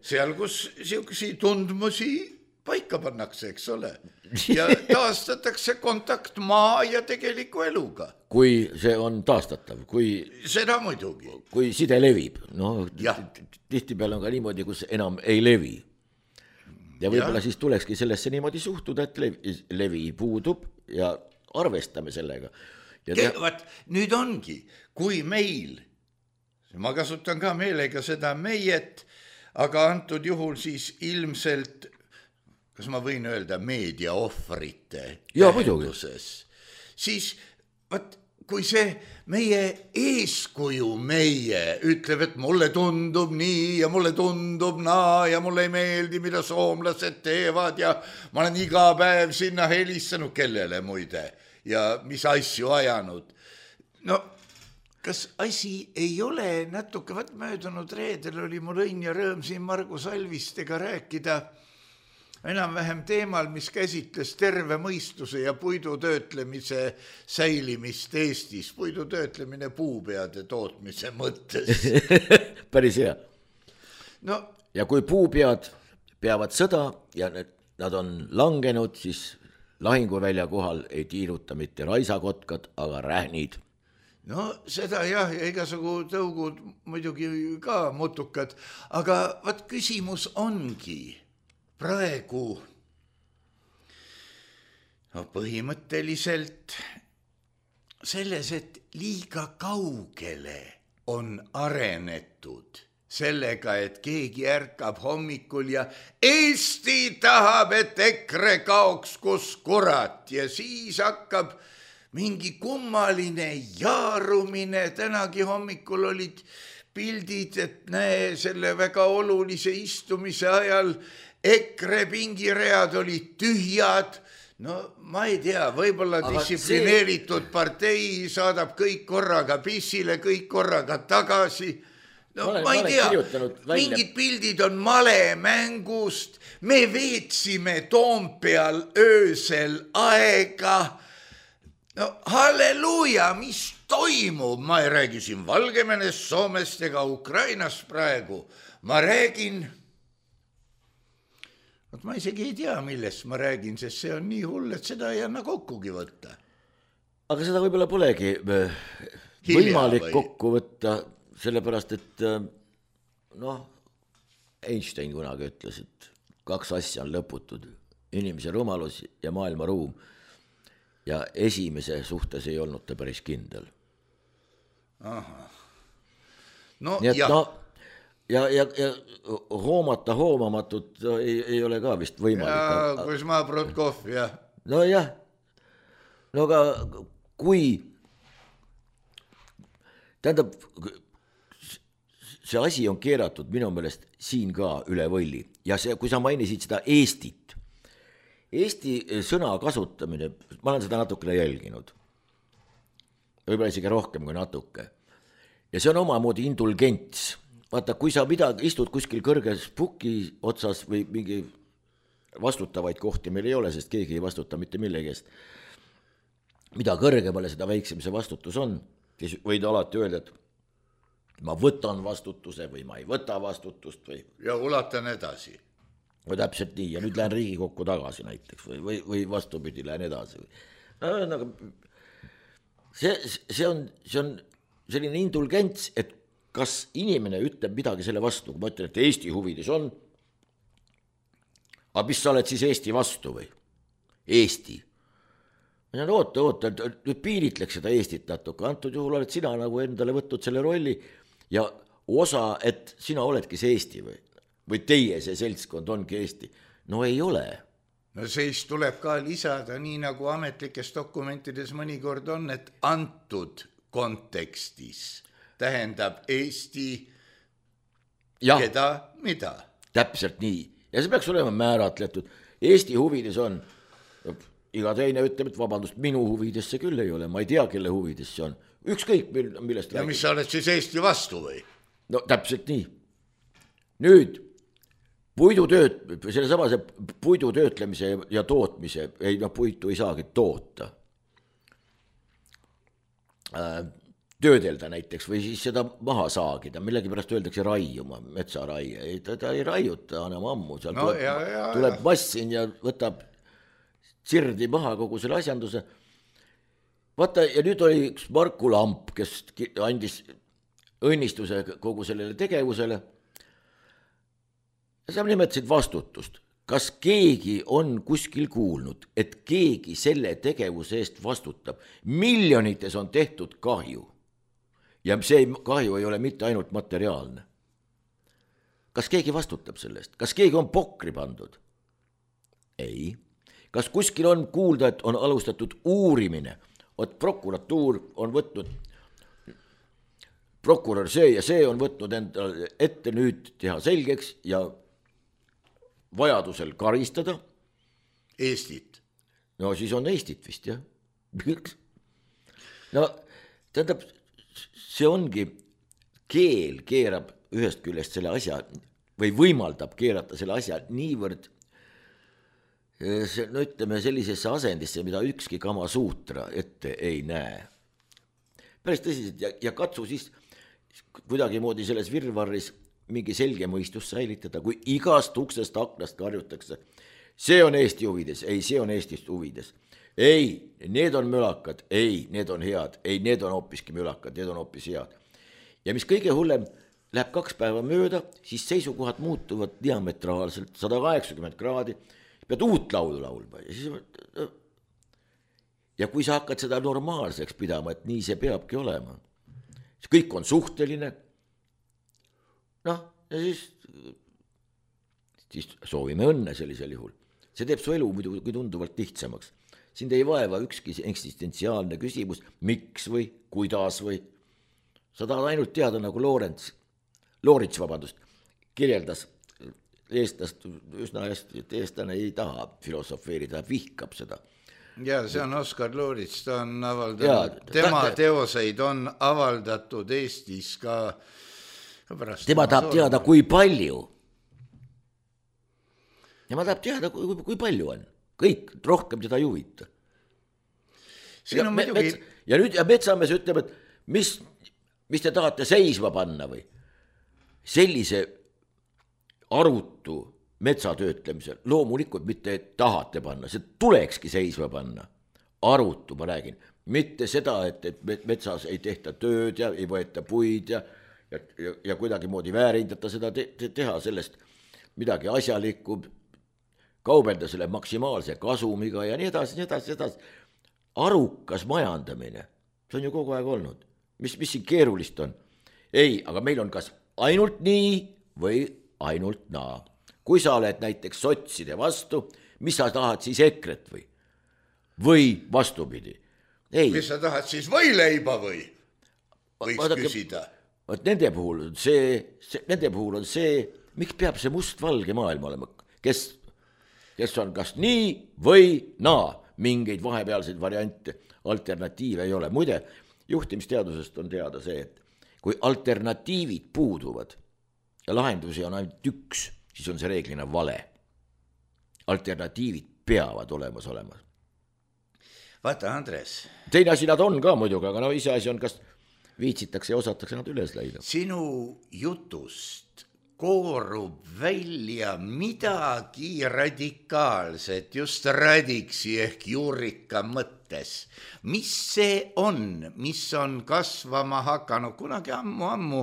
seal, kus siuksi tundmusi paika pannakse, eks ole, ja taastatakse kontakt maa ja tegeliku eluga. Kui see on taastatav, seda muidugi. Kui side levib, tihtipeale on ka niimoodi, kus enam ei levi. Ja võib-olla siis tulekski sellesse niimoodi suhtuda, et levi puudub ja arvestame sellega. Nüüd ongi, kui meil, ma kasutan ka meelega seda meiet, aga antud juhul siis ilmselt, kas ma võin öelda meediaohvrite tähenduses, siis kui see meie eeskuju ütleb, et mulle tundub nii ja mulle tundub naa ja mulle ei meeldi, mida soomlased teevad ja ma olen iga päev sinna helistanud kellele muide ja mis asju ajanud. No, kas asi ei ole natuke, möödunud reedel oli mul õnn ja rõõm siin Margus Alvistega rääkida enam-vähem teemal, mis käsitles terve mõistuse ja puidutöötlemise säilimist Eestis, puidutöötlemine puupeade tootmise mõttes. Päris hea. No, ja kui puupead peavad sõda ja nad on langenud, siis lahinguvälja kohal ei tiiruta mitte raisakotkad, aga rähnid. No seda jah, ja igasugu tõugud muidugi ka mutukad, aga küsimus ongi praegu põhimõtteliselt selles, et liiga kaugele on arenetud sellega, et keegi ärkab hommikul ja Eesti tahab, et EKRE kaoks kus kurat ja siis hakkab mingi kummaline jaarumine. Tänagi hommikul olid pildid, et näe, selle väga olulise istumise ajal EKRE pingiread olid tühjad. No ma ei tea, võib-olla distsiplineeritud partei saadab kõik korraga pissile, kõik korraga tagasi. No ma ei tea, mingid pildid on malemängust, me veetsime Toompeal öösel aega. No halleluuja, mis toimub? Ma ei räägi siin Valgevenest, Soomest ega Ukrainast praegu. Ma räägin... Ma isegi ei tea, millest ma räägin, sest see on nii hull, et seda ei anna kokkugi võtta. Aga seda võib-olla polegi võimalik kokku võtta, sellepärast, et Einstein kunagi ütles, et 2 asja on lõputud, inimese rumalus ja maailma ruum. Ja esimese suhtes ei olnud ta päris kindel. Aha. No, nii et ja hoomata hoomamatut ei ole ka vist võimalik. Ja Kuzma Protkov, jah. No jah, no aga kui, tähendab, see asi on keeratud minu meelest siin ka üle võlli ja see, kui sa mainisid seda Eestit, Eesti sõna kasutamine, ma olen seda natukene jälginud, võib-olla isegi rohkem kui natuke ja see on omamoodi indulgents. Vaata, kui sa istud kuskil kõrges puki otsas või mingi vastutavaid kohti meil ei ole, sest keegi ei vastuta mitte millegi eest. Mida kõrgemale seda väiksem see vastutus on, siis võid alati öelda, et ma võtan vastutuse või ma ei võta vastutust või... Ja ulatan edasi. no täpselt nii ja nüüd lähen Riigikokku tagasi näiteks või vastupidi, lähen edasi. No, see on selline indulgents, et kas inimene ütleb midagi selle vastu, kui ma ütlen, et Eesti huvides on, aga mis sa oled siis Eesti vastu või? Eesti. Oota, nüüd piiritleks seda Eestit natuke, antud juhul oled sina nagu endale võtnud selle rolli ja osa, et sina oledki see Eesti või teie see seltskond ongi Eesti. No ei ole. No siis tuleb ka lisada, nii nagu ametlikes dokumentides mõnikord on, et antud kontekstis tähendab Eesti ja, keda, mida. Täpselt nii. Ja see peaks olema määratletud. Eesti huvides on, iga teine ütleb, et vabandust, minu huvides see küll ei ole, ma ei tea, kelle huvides see on. Ükskõik, millest ja räägib. Mis sa oled siis Eesti vastu või? No täpselt nii. Nüüd puidu töötlemise ja tootmise, puitu ei saagi toota. Töödelda näiteks või siis seda maha saagida, millegi pärast öeldakse raiuma, metsaraie, ta ei raiuta enam ammu, seal tuleb massin ja võtab sirdi maha kogu selle asjanduse. Vaata, ja nüüd oli üks Marku Lamp, kes andis õnnistuse kogu sellele tegevusele. Ja sa nimetasid vastutust. Kas keegi on kuskil kuulnud, et keegi selle tegevuse eest vastutab? Miljonites on tehtud kahju. Ja see kahju ei ole mitte ainult materiaalne. Kas keegi vastutab sellest? Kas keegi on pokri pandud? Ei. Kas kuskil on kuulda, et on alustatud uurimine? Prokuratuur on võtnud, prokurör see ja see on võtnud endale ette nüüd teha selgeks ja vajadusel karistada. Eestit. No siis on Eestit vist, jah. No tähendab, see ongi, keel keerab ühest küljest selle asja või võimaldab keerata selle asja niivõrd no ütleme sellisesse asendisse, mida ükski Kamasuutra ette ei näe. Päris tõsiselt ja katsu siis kuidagi moodi selles virvarris mingi selge mõistus säilitada, kui igast uksest aknast karjutakse. See on Eesti huvides, ei, see on Eestist huvides. Ei, need on mülakad, ei, need on head, ei, need on hoopiski mülakad, need on hoopis head. Ja mis kõige hullem, läheb 2 päeva mööda, siis seisukohad muutuvad diametraalselt 180 kraadi, pead uut laulu laulma ja kui sa hakkad seda normaalseks pidama, et nii see peabki olema, siis kõik on suhteline, noh, ja siis soovime õnne sellisel juhul. See teeb su elu muidugi tunduvalt lihtsamaks. Sind ei vaeva ükski eksistentsiaalne küsimus, miks või kuidas või. Sa tahad ainult teada, nagu Loorits, kirjeldas eestlast üsna hästi, et eestlane ei taha filosofeerida, vihkab seda. Ja see on Oskar Loorits, ta on avaldanud, tema teoseid on avaldatud Eestis ka pärast. Tema tahab teada, kui palju. Tema tahab teada, kui palju on. Kõik, rohkem seda ei huvita. Ja nüüd Metsamees ütleb, et mis te tahate seisma panna või? Sellise arutu metsatöötlemisel, loomulikult mitte tahate panna, see tulekski seisma panna. Arutu, ma räägin, mitte seda, et metsas ei tehta tööd ja ei võeta puid ja kuidagi moodi väärindata seda teha sellest midagi asjalikku, kaubelda selle maksimaalse kasumiga ja nii edasi. Arukas majandamine, see on ju kogu aeg olnud. Mis siin keerulist on? Ei, aga meil on kas ainult nii või ainult naa. Kui sa oled näiteks sotside vastu, mis sa tahad siis EKRE-t või? Või vastupidi? Ei. Mis sa tahad siis võileiba või? Võiks küsida. Nende puhul on see, miks peab see must-valge maailm olema? Kes on kas nii või naa? Mingeid vahepealseid variante, alternatiive ei ole. Muide, juhtimisteadusest on teada see, et kui alternatiivid puuduvad ja lahendusi on ainult üks, siis on see reeglina vale. Alternatiivid peavad olemas olema. Vaata, Andres. Teine asi nad on ka muidugi, aga iseasi on, kas viitsitakse ja osatakse nad üles leida. Sinu jutust koorub välja midagi radikaalset, just radiksi ehk juurika mõttes. Mis see on, mis on kasvama hakanud? Kunagi ammu,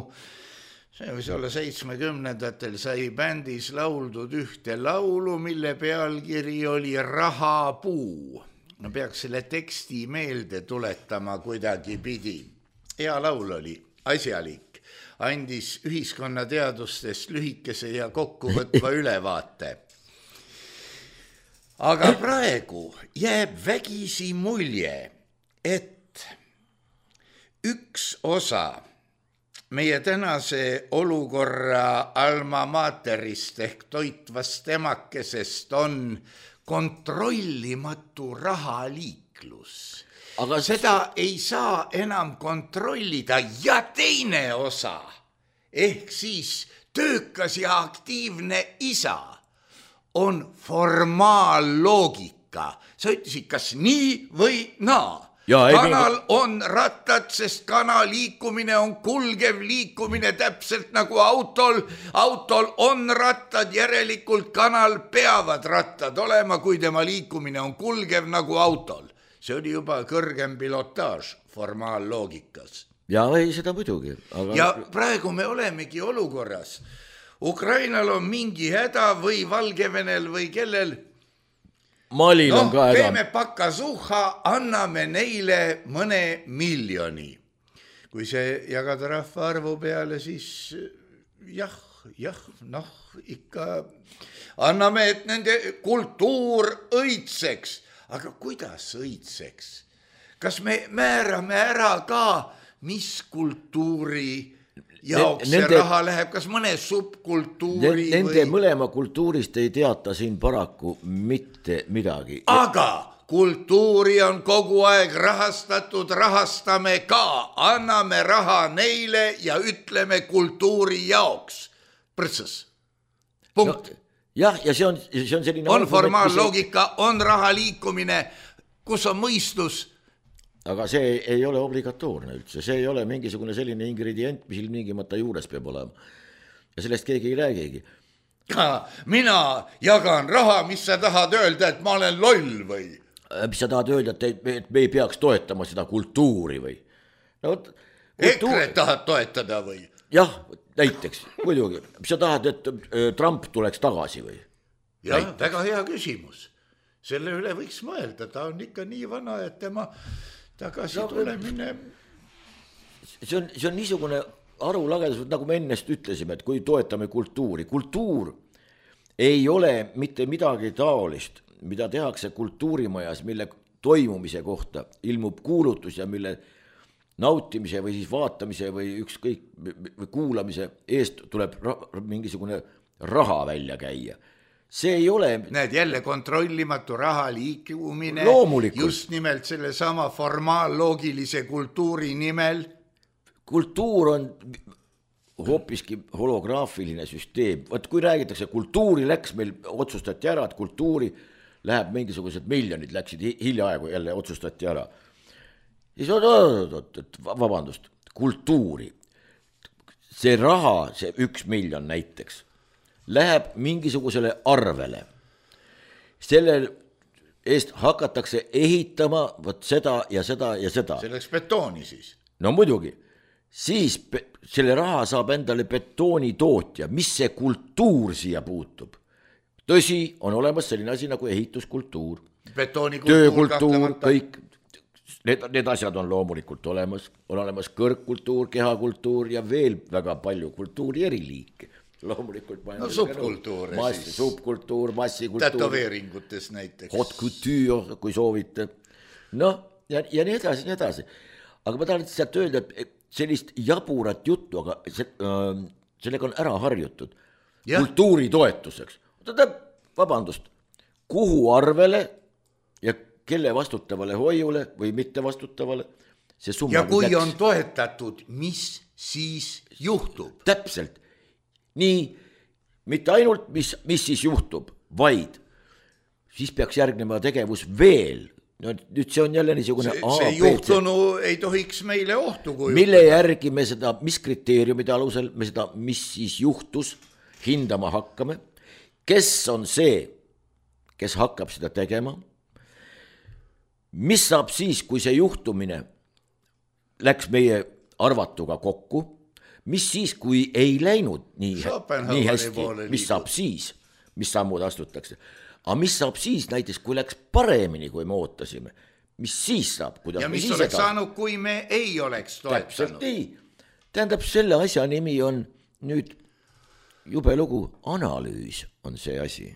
see võis olla 70-ndatel, sai bändis lauldud ühte laulu, mille pealkiri oli Rahapuu. No peaks selle teksti meelde tuletama kuidagi pidi. Hea laul oli, asjalik, andis ühiskonnateadustest lühikese ja kokkuvõtva ülevaate. Aga praegu jääb vägisi mulje, et üks osa meie tänase olukorra alma materist ehk toitvast emakesest on kontrollimatu rahaliiklus. Aga seda ei saa enam kontrollida ja teine osa, ehk siis töökas ja aktiivne isa, on formaalloogika. Sa ütlesid, kas nii või naa? Kanal on rattad, sest kana liikumine on kulgev liikumine täpselt nagu autol. Autol on rattad, järelikult kanal peavad rattad olema, kui tema liikumine on kulgev nagu autol. See oli juba kõrgem pilotaaž formaalloogikas. Ja ei seda muidugi. Aga... Ja praegu me olemegi olukorras. Ukrainal on mingi häda või Valgevenel või kellel. Malil on ka häda. Teeme pakasuha, anname neile mõne miljoni. Kui see jagada rahvaarvu peale, siis ikka anname, et nende kultuur õitseks. Aga kuidas õitseks? Kas me määrame ära ka, mis kultuuri jaoks see raha läheb, kas mõne subkultuuri Nende mõlema kultuurist ei teata siin paraku mitte midagi. Aga kultuuri on kogu aeg rahastatud, rahastame ka, anname raha neile ja ütleme kultuuri jaoks. Prõtsas. Punkt. Jah, ja see on selline... On formaalloogika, on raha liikumine, kus on mõistus. Aga see ei ole obligatoorne üldse, see ei ole mingisugune selline ingredient, mis ilmingimata juures peab olema. Ja sellest keegi ei räägigi. Mina jagan raha, mis sa tahad öelda, et ma olen loll või? Mis sa tahad öelda, et me ei peaks toetama seda kultuuri või? EKRE tahad toetada või? Jah, näiteks, muidugi. Mis sa tahad, et Trump tuleks tagasi või? Jah, väga hea küsimus. Selle üle võiks mõelda, ta on ikka nii vana, et tema tagasi tulemine. See on niisugune arulagedus, nagu me ennest ütlesime, et kui toetame kultuuri. Kultuur ei ole mitte midagi taolist, mida tehakse kultuurimajas, mille toimumise kohta ilmub kuulutus ja mille nautimise või siis vaatamise või ükskõik või kuulamise eest tuleb mingisugune raha välja käia. See ei ole... Näed, jälle kontrollimatu raha liikumine. Loomulikult. Just nimelt selle sama formaalloogilise kultuuri nimel. Kultuur on hoopiski holograafiline süsteem. Vaat kui räägitakse, kultuuri läks, meil otsustati ära, et kultuuri läheb mingisugused miljonid, läksid hiljaaegu jälle otsustati ära. Siis vabandust, kultuuri. See raha, see 1 miljon näiteks, läheb mingisugusele arvele. Sellel eest hakatakse ehitama võt seda ja seda ja seda. Selleks betooni siis. No muidugi. Siis selle raha saab endale betoonitootja. Mis see kultuur siia puutub? Tõsi, on olemas selline asi nagu ehituskultuur. Töökultuur, kõik. Need asjad on loomulikult olemas. On olemas kõrgkultuur, kehakultuur ja veel väga palju kultuuri eriliike. Loomulikult subkultuure siis. Subkultuur, massikultuur. Tätoveeringutes näiteks. Haute couture, kui soovite. Ja nii edasi, nii edasi. Aga ma tahan sealt öelda, et sellist jaburat juttu, aga sellega on ära harjutud. Ja. Kultuuri toetuseks. Vabandust, kuhu arvele ja kelle vastutavale hoiule või mitte vastutavale see summa. Ja kui on toetatud, mis siis juhtub? Täpselt. Nii, mitte ainult mis siis juhtub, vaid siis peaks järgnema tegevus veel. No, nüüd see on jälle niisugune see juhtunu ei tohiks meile ohtu kujutada. Mille järgi me seda, mis kriteeriumide alusel me seda, mis siis juhtus hindama hakkame, kes on see, kes hakkab seda tegema, mis saab siis, kui see juhtumine läks meie arvatuga kokku, mis siis, kui ei läinud nii hästi, mis saab siis, mis sammud astutakse. Aga mis saab siis näiteks, kui läks paremini, kui me ootasime, mis siis saab? Ja mis oleks saanud, kui me ei oleks toetanud? Tähendab, selle asja nimi on nüüd jube lugu, analüüs on see asi.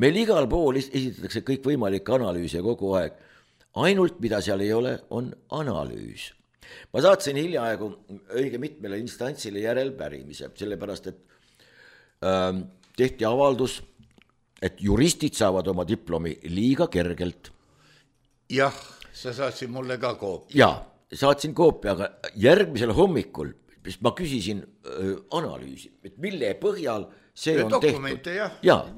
Meil igal pool esitatakse kõik võimalik analüüse kogu aeg. Ainult, mida seal ei ole, on analüüs. Ma saatsin hiljaaegu õige mitmele instantsile järelpärimise, sellepärast, et tehti avaldus, et juristid saavad oma diplomi liiga kergelt. Jah, sa saatsid mulle ka koopia. Jaa, saatsin koopia, aga järgmisel hommikul ma küsisin analüüsi, et mille põhjal see on dokumente, tehtud. Jaa,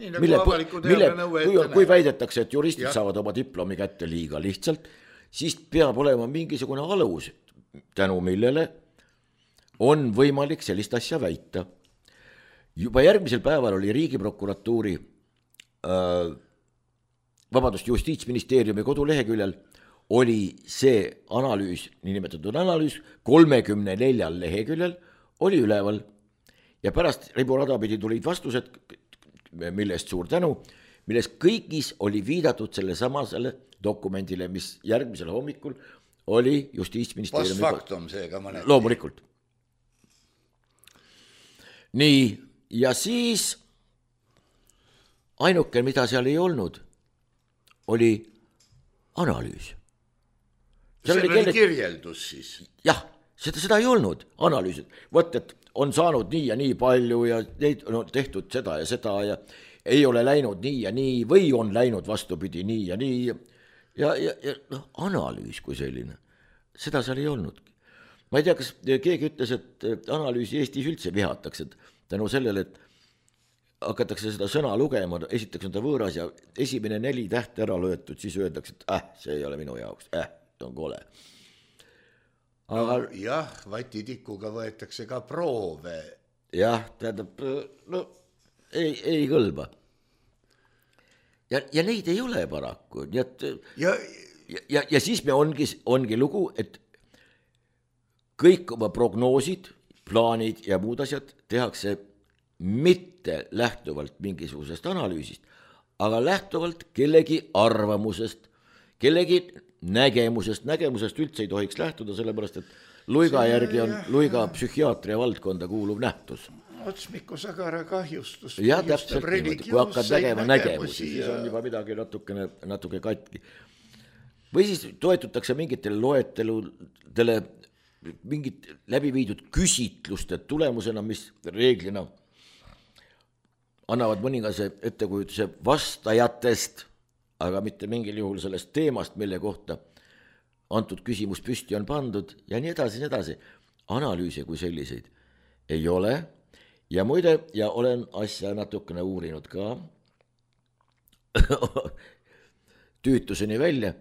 kui väidetakse, et juristid saavad oma diplomi kätte liiga lihtsalt, siis peab olema mingisugune alus, tänu millele on võimalik sellist asja väita. Juba järgmisel päeval oli Riigiprokuratuuri Justiitsministeeriumi koduleheküljel oli see analüüs, niinimetatud analüüs, 34 leheküljel oli üleval ja pärast riburadapidi tulid vastused, millest suur tänu, millest kõigis oli viidatud selle samasele dokumendile, mis järgmisel hommikul oli Justiitsministeeriumi postfaktum seega mõneti. Loomulikult. Nii, ja siis ainuke, mida seal ei olnud, oli analüüs. See oli kirjeldus siis? Jah, seda ei olnud, analüüsid. Võt, et on saanud nii ja nii palju ja neid on tehtud seda ja ei ole läinud nii ja nii või on läinud vastupidi nii ja nii. Ja analüüs kui selline, seda seal ei olnud. Ma ei tea, kas keegi ütles, et analüüsi Eestis üldse vihatakse tänu sellele, et hakatakse seda sõna lugema, esiteks on ta võõras ja esimene 4 tähte ära löötud, siis öeldakse, et see ei ole minu jaoks, on kole. Aga jah, vatitikuga võetakse ka proove. Jah, tähendab, ei kõlba. Ja neid ei ole paraku. Ja siis me ongi lugu, et kõik oma prognoosid, plaanid ja muud asjad tehakse mitte lähtuvalt mingisugusest analüüsist, aga lähtuvalt kellegi arvamusest, kellegi nägemusest üldse ei tohiks lähtuda, sellepärast, et Luiga järgi on Luiga psühhiaatria valdkonda kuuluv nähtus. Otsmiku sagara kahjustus. Ja täpselt niimoodi, kui hakkad nägema nägemusi, siis on juba midagi natuke katki. Või siis toetutakse mingitele loeteludele, mingid läbiviidud küsitluste tulemusena, mis reeglina annavad mõningase ettekujutuse vastajatest, aga mitte mingil juhul sellest teemast, mille kohta antud küsimus püsti on pandud ja nii edasi. Analüüse kui selliseid ei ole ja muide, ja olen asja natukene uurinud ka tüütuseni välja,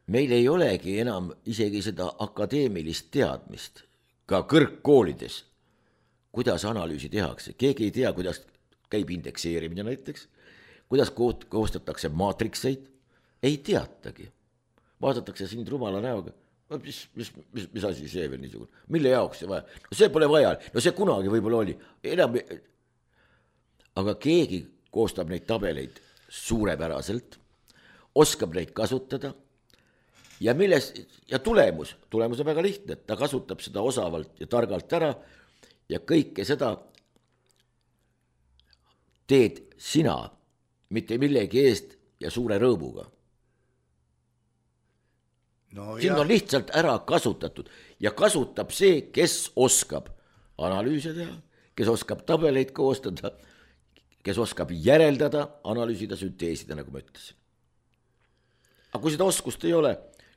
meil ei olegi enam isegi seda akadeemilist teadmist ka kõrgkoolides, kuidas analüüsi tehakse. Keegi ei tea, kuidas käib indekseerimine näiteks, kuidas koostatakse maatrikseid, ei teatagi. Vaadatakse sind rumala näoga, mis asi see veel niisugune, mille jaoks see vaja? No see pole vaja, no see kunagi võib-olla oli. Aga keegi koostab neid tabeleid suurepäraselt, oskab neid kasutada ja tulemus on väga lihtne, et ta kasutab seda osavalt ja targalt ära ja kõike seda teed sina, mitte millegi eest ja suure rõõmuga. Siin on lihtsalt ära kasutatud ja kasutab see, kes oskab analüüse teha, kes oskab tabeleid koostada, kes oskab järeldada, analüüsida, sünteesida, nagu ma ütlesin. Aga kui seda oskust ei ole,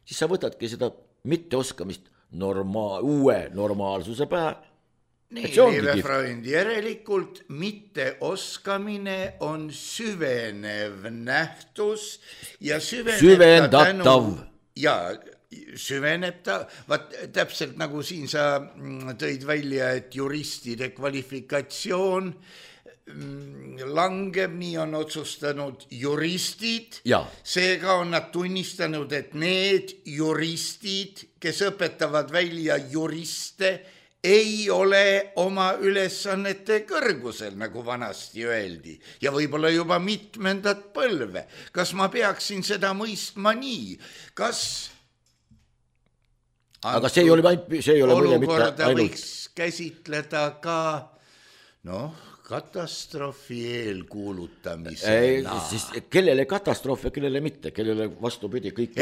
siis sa võtadki seda mitteoskamist uue normaalsuse pähe. Nii, Liive Freund, järelikult mitteoskamine on süvenev nähtus ja süvendatav. Ja süveneb ta, vaat täpselt nagu siin sa tõid välja, et juristide kvalifikatsioon langeb, nii on otsustanud juristid, seega on nad tunnistanud, et need juristid, kes õpetavad välja juriste, ei ole oma ülesannete kõrgusel, nagu vanasti öeldi, ja võib-olla juba mitmendat põlve. Kas ma peaksin seda mõistma nii? Kas aga see ei ole olukorda võiks käsitleda ka katastroofi eelkuulutamisena? Siis kellele katastroof ja kellele mitte, kellele vastupidi kõik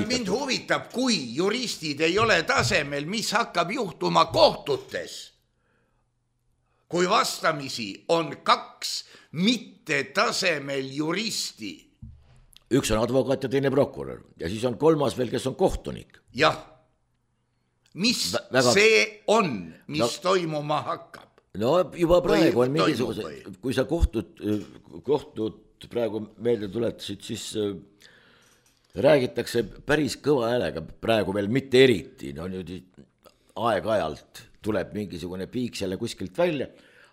mind huvitab, kui juristid ei ole tasemel, mis hakkab juhtuma kohtutes, kui vastamisi on 2 mitte tasemel juristi. Üks on advokaat ja teine prokurör ja siis on 3 veel, kes on kohtunik. Jah, mis see on, mis toimuma hakkab? No juba praegu on mingisuguse, kui sa kohtud praegu meelde tuletasid, siis räägitakse päris kõva häälega, praegu veel mitte eriti, nüüd aeg-ajalt tuleb mingisugune piik selle kuskilt välja,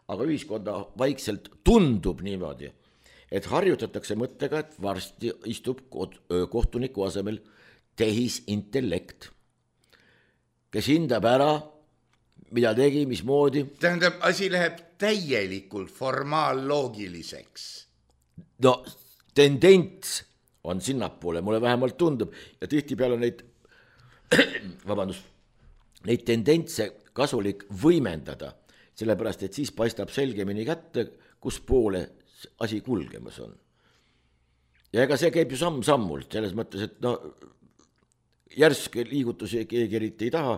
aga ühiskonda vaikselt tundub niimoodi, et harjutatakse mõttega, et varsti istub kohtuniku asemel tehisintellekt, kes hindab ära, mida tegi, mismoodi. Tähendab, asi läheb täielikult formaaloogiliseks. No tendents on sinnapoole, mulle vähemalt tundub, ja tihtipeale neid tendentse kasulik võimendada, sellepärast, et siis paistab selgemini kätte, kus poole asi kulgemas on. Ja ega see käib ju samm-sammult, selles mõttes, et järske liigutusi keegi eriti ei taha,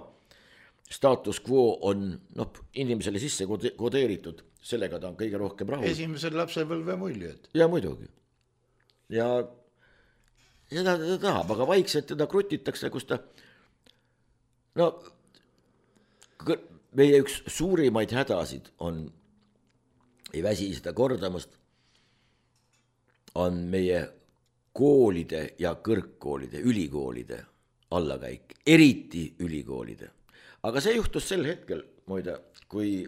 status quo on inimesele sisse kodeeritud, sellega ta on kõige rohkem rahul. Esimesel lapsepõlve muljed. Ja muidugi. Ja seda ta tahab, aga vaikselt teda krutitakse, kus ta meie üks suurimaid hädasid on, ei väsi seda kordamast, on meie koolide ja kõrgkoolide, ülikoolide allakäik, eriti ülikoolide. Aga see juhtus sel hetkel, muide, kui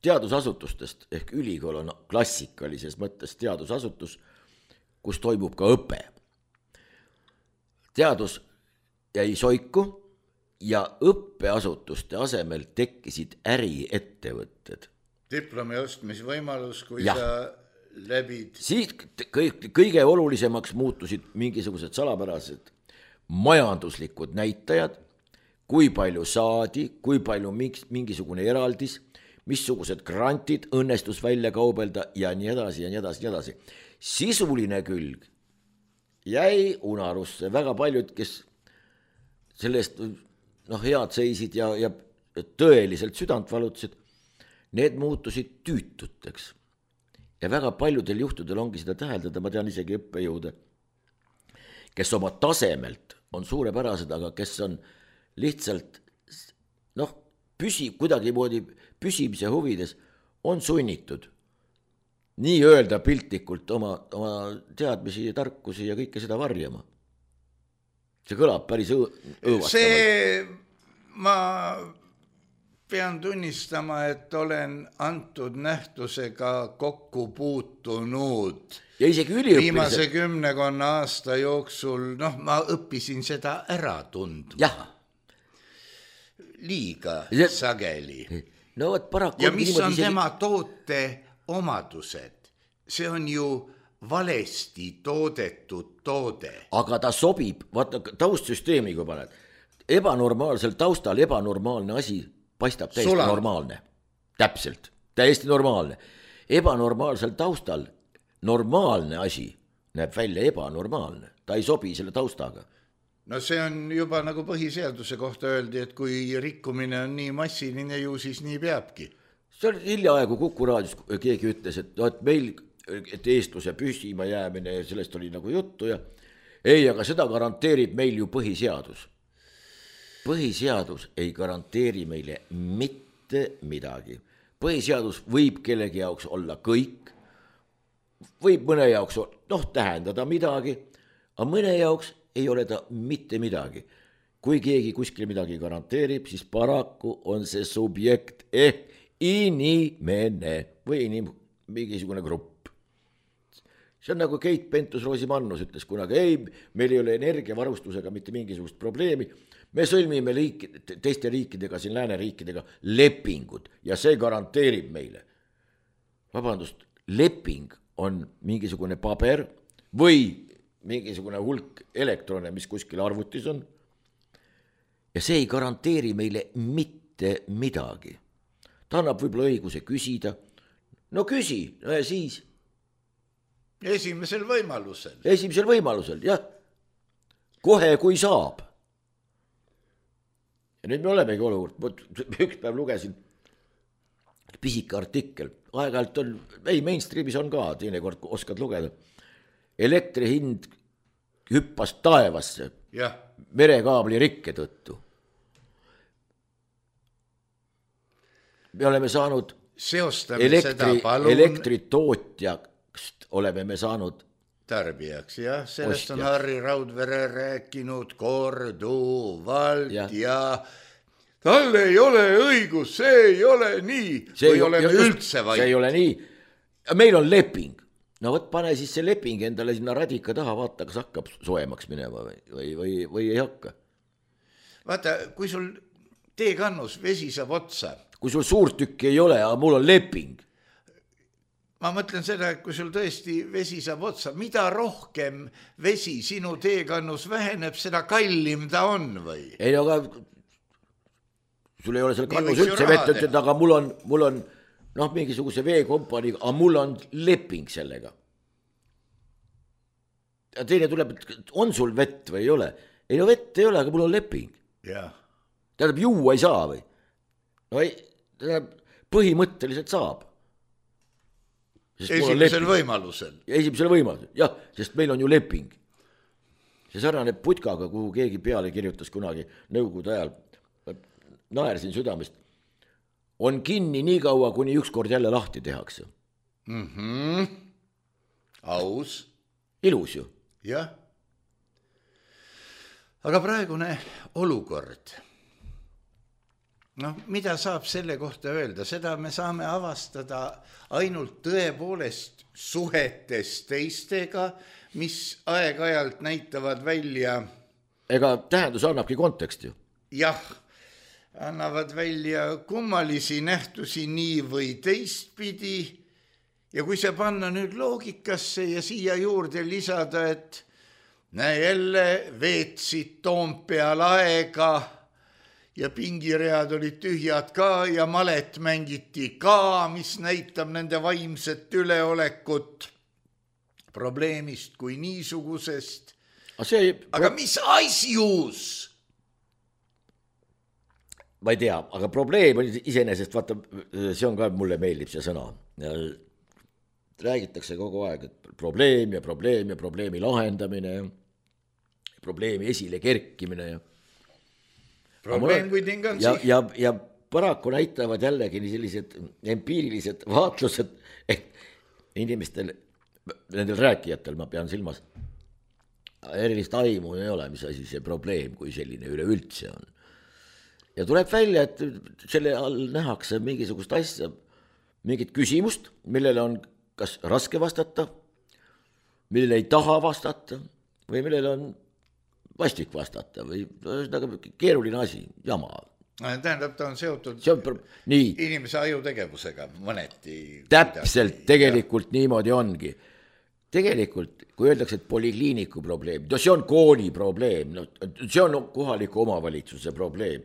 teadusasutustest ehk ülikool on klassikalises mõttes teadusasutus, kus toimub ka õpe. Teadus jäi soiku ja õppeasutuste asemel tekkisid äriettevõtted. Diplomi ostmisvõimalus, kui sa läbid. Siit kõige olulisemaks muutusid mingisugused salapärased majanduslikud näitajad, kui palju saadi, kui palju mingisugune eraldis, missugused grantid õnnestus välja kaubelda ja nii edasi ja nii edasi, nii edasi. Sisuline külg jäi unarusse, väga paljud, kes sellest head seisid ja tõeliselt südant valutasid, need muutusid tüütuteks. Ja väga paljudel juhtudel ongi seda täheldada, ma tean isegi õppejõude, kes oma tasemelt on suurepärased, aga kes on lihtsalt kuidagimoodi püsimise huvides on sunnitud nii öelda piltlikult oma teadmisi ja tarkusi ja kõike seda varjama. See kõlab päris õõvastavalt. Ma pean tunnistama, et olen antud nähtusega kokku puutunud. Ja isegi üliõpilised. Viimase 10 aasta jooksul, ma õppisin seda ära tundma. Jah. Liiga sageli. No, ja mis on tema toote omadused? See on ju valesti toodetud toode. Aga ta sobib, vaata taustsüsteemi, kui paned. Ebanormaalsel taustal ebanormaalne asi paistab täiesti normaalne. Täpselt, täiesti normaalne. Ebanormaalsel taustal normaalne asi näeb välja ebanormaalne. Ta ei sobi selle taustaga. No see on juba nagu põhiseaduse kohta öeldi, et kui rikkumine on nii massiline ju, siis nii peabki. See on hiljaaegu Kuku raadios keegi ütles, et meil eestluse püsima jäämine ja sellest oli nagu juttu ja ei, aga seda garanteerib meil ju põhiseadus. Põhiseadus ei garanteeri meile mitte midagi. Põhiseadus võib kellegi jaoks olla kõik, võib mõne jaoks tähendada midagi, aga mõne jaoks ei ole ta mitte midagi. kui keegi kuskil midagi garanteerib, siis paraku on see subjekt ehk inimene või mingisugune grupp. See on nagu Keit Pentus-Rosimannus ütles kunagi, ei, meil ei ole energiavarustusega mitte mingisugust probleemi, me sõlmime teiste riikidega, siin lääneriikidega lepingud ja see garanteerib meile. Vabandust, leping on mingisugune paber või mingisugune hulk elektrone, mis kuskil arvutis on ja see ei garanteeri meile mitte midagi. Ta annab võib-olla õiguse küsida, no küsi, no ja siis Esimesel võimalusel, jah. Kohe, kui saab. Ja nüüd me olemegi olukord, üks päev lugesin pisike artikkel, aeg-ajalt on, ei mainstreamis on ka, teinekord oskad lugeda. Elektri hind hüppas taevasse merekaabli rikke tõttu. Me oleme saanud elektritootjast oleme me saanud tarbijaks, jah, sellest on Harri Raudvere rääkinud korduvalt ja tal ei ole õigus, see ei ole nii, või oleme üldse vaid. See ei ole nii, meil on leping, no võt pane siis see leping endale sinna radika taha, vaata, kas hakkab soemaks minema või ei hakka. Vaata, kui sul teekannus vesi saab otsa. Kui sul suurt tükki ei ole, aga mul on leping. Ma mõtlen seda, et kui sul tõesti vesi saab otsa, mida rohkem vesi sinu teekannus väheneb, seda kallim ta on või? Ei, aga sul ei ole selle kannus üldse vett, aga mul on mingisuguse veekompaniga, aga mul on leping sellega. Ja teine tuleb, et on sul vett või ei ole? Ei, no vett ei ole, aga mul on leping. Tähendab, juua ei saa või? No ei, põhimõtteliselt saab. Esimesel võimalusel, jah, sest meil on ju leping. See sarnane putkaga, kuhu keegi peale kirjutas kunagi nõukogude ajal, naersin südamest, on kinni nii kaua, kuni ükskord jälle lahti tehakse. Aus. Ilus ju. Jah. Aga praegune olukord, mida saab selle kohta öelda, seda me saame avastada ainult tõepoolest suhetes teistega, mis aeg-ajalt näitavad välja. Ega tähendus annabki konteksti ju. Jah, annavad välja kummalisi nähtusi nii või teistpidi ja kui see panna nüüd loogikasse ja siia juurde lisada, et näe jälle veetsid Toompeal aega ja pingiread olid tühjad ka ja malet mängiti ka, mis näitab nende vaimset üleolekut probleemist kui niisugusest. Aga mis asjus? Ma ei tea, aga probleem on iseenesest, vaata, see on ka, mulle meeldib see sõna. Räägitakse kogu aeg, et probleem ja probleemi lahendamine, probleemi esile kerkimine ja probleem kui tingansi. Ja paraku näitavad jällegi sellised empiirilised vaatlused, et inimestel, nendel rääkijatel ma pean silmas, erilist aimu ei ole, mis asi see probleem kui selline üleüldse on. Ja tuleb välja, et selle all nähakse mingisugust asja, mingit küsimust, millele on kas raske vastata, millele ei taha vastata või millele on vastik vastata või keeruline asi, jama. Tähendab, ta on seotud inimese ajutegevusega mõneti. Täpselt, tegelikult niimoodi ongi. Tegelikult, kui öeldakse, et polikliiniku probleem, see on kooli probleem, see on kohaliku omavalitsuse probleem.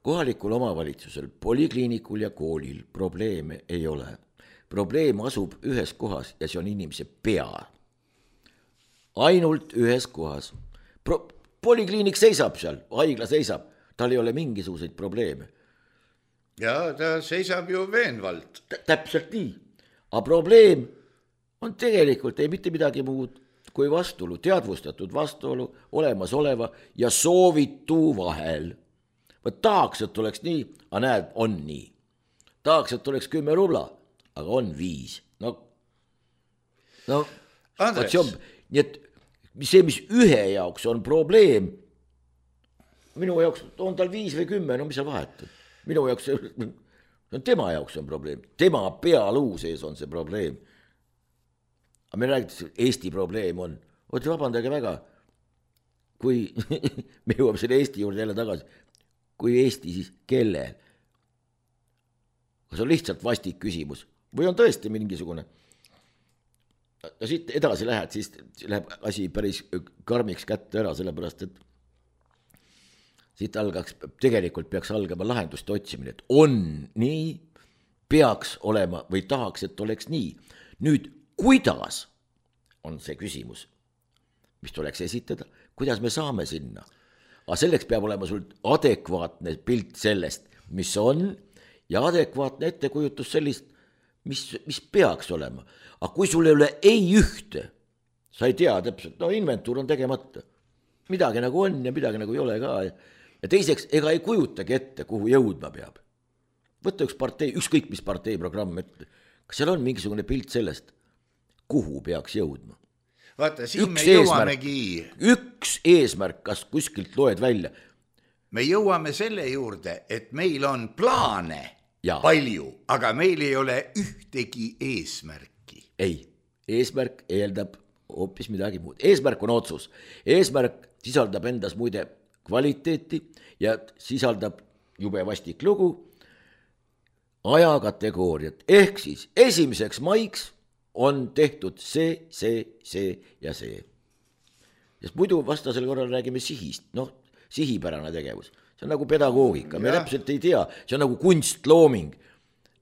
Kohalikul omavalitsusel, polikliinikul ja koolil probleeme ei ole. Probleem asub ühes kohas ja see on inimese pea. Ainult ühes kohas. Polikliinik seisab seal, haigla seisab, tal ei ole mingisuguseid probleeme. Ja ta seisab ju veenvalt. Täpselt nii. Aga probleem on tegelikult ei mitte midagi muud kui vastuolu, teadvustatud vastuolu olemasoleva ja soovitu vahel. Ma tahaks, et oleks nii, aga näed, on nii. Tahaks, et oleks 10 rubla, aga on 5. Andres. Nii et see, mis ühe jaoks on probleem, minu jaoks on tal 5 või 10, no mis seal vahet on. Minu jaoks on tema jaoks on probleem, tema pealuu sees on see probleem. Aga me räägitakse, Eesti probleem on, oota vabandage väga, kui me jõuame selle Eesti juurde jälle tagasi, kui Eesti siis kellel? Kas on lihtsalt vastik küsimus või on tõesti mingisugune? No siit edasi lähed, siis läheb asi päris karmiks kätte ära, sellepärast, et siit tegelikult peaks algama lahendust otsimine, et on nii, peaks olema või tahaks, et oleks nii. Nüüd, kuidas on see küsimus, mis tuleks esitada, kuidas me saame sinna? Aga selleks peab olema sul adekvaatne pilt sellest, mis on, ja adekvaatne ettekujutus sellist, mis peaks olema. Aga kui sul ei ole ei ühte, sa ei tea täpselt, no inventuur on tegemata. Midagi nagu on ja midagi nagu ei ole ka. Ja teiseks, ega ei kujutagi ette, kuhu jõudma peab. Võtta üks partei, ükskõik mis partei programm ette. Kas seal on mingisugune pilt sellest, kuhu peaks jõudma? Vaata, siin me jõuamegi. Üks eesmärk, kas kuskilt loed välja. Me jõuame selle juurde, et meil on plaane palju, aga meil ei ole ühtegi eesmärki. Ei, eesmärk eeldab hoopis midagi muud. Eesmärk on otsus. Eesmärk sisaldab endas muide kvaliteeti ja sisaldab jube vastik lugu ajakategooriat. Ehk siis 1. maiks on tehtud see ja see. Sest muidu vastasel korral räägime sihist, sihipärane tegevus. See on nagu pedagoogika, me täpselt ei tea, see on nagu kunstlooming.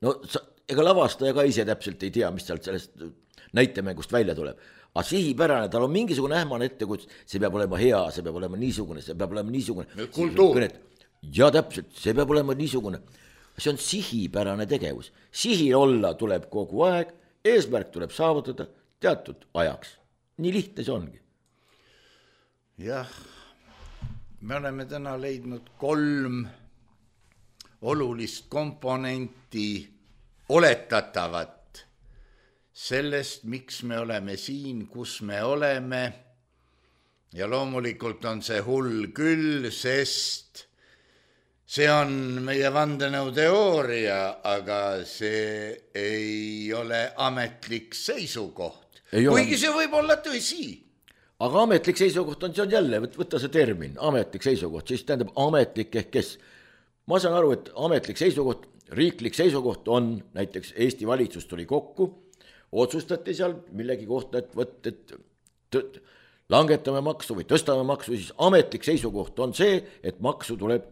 No ega lavastaja ka ise täpselt ei tea, mis sealt sellest näitemängust välja tuleb. Aga sihipärane, tal on mingisugune ähmane ettekujutus, see peab olema hea, see peab olema niisugune, see peab olema niisugune. Kultuur. Ja täpselt, see peab olema niisugune. See on sihipärane tegevus. Sihil olla tuleb kogu aeg, eesmärk tuleb saavutada teatud ajaks. Nii lihtne see ongi. Jah, me oleme täna leidnud 3 olulist komponenti oletatavat sellest, miks me oleme siin, kus me oleme. Ja loomulikult on see hull küll, sest see on meie vandenõuteooria, aga see ei ole ametlik seisukoht. Kuigi see võib olla tõsi. Aga ametlik seisukoht on, see on jälle, võtta see termin, ametlik seisukoht, siis tähendab ametlik ehk kes. Ma saan aru, et ametlik seisukoht, riiklik seisukoht on, näiteks Eesti valitsus tuli kokku, otsustati seal millegi kohta, et langetame maksu või tõstame maksu, siis ametlik seisukoht on see, et maksu tuleb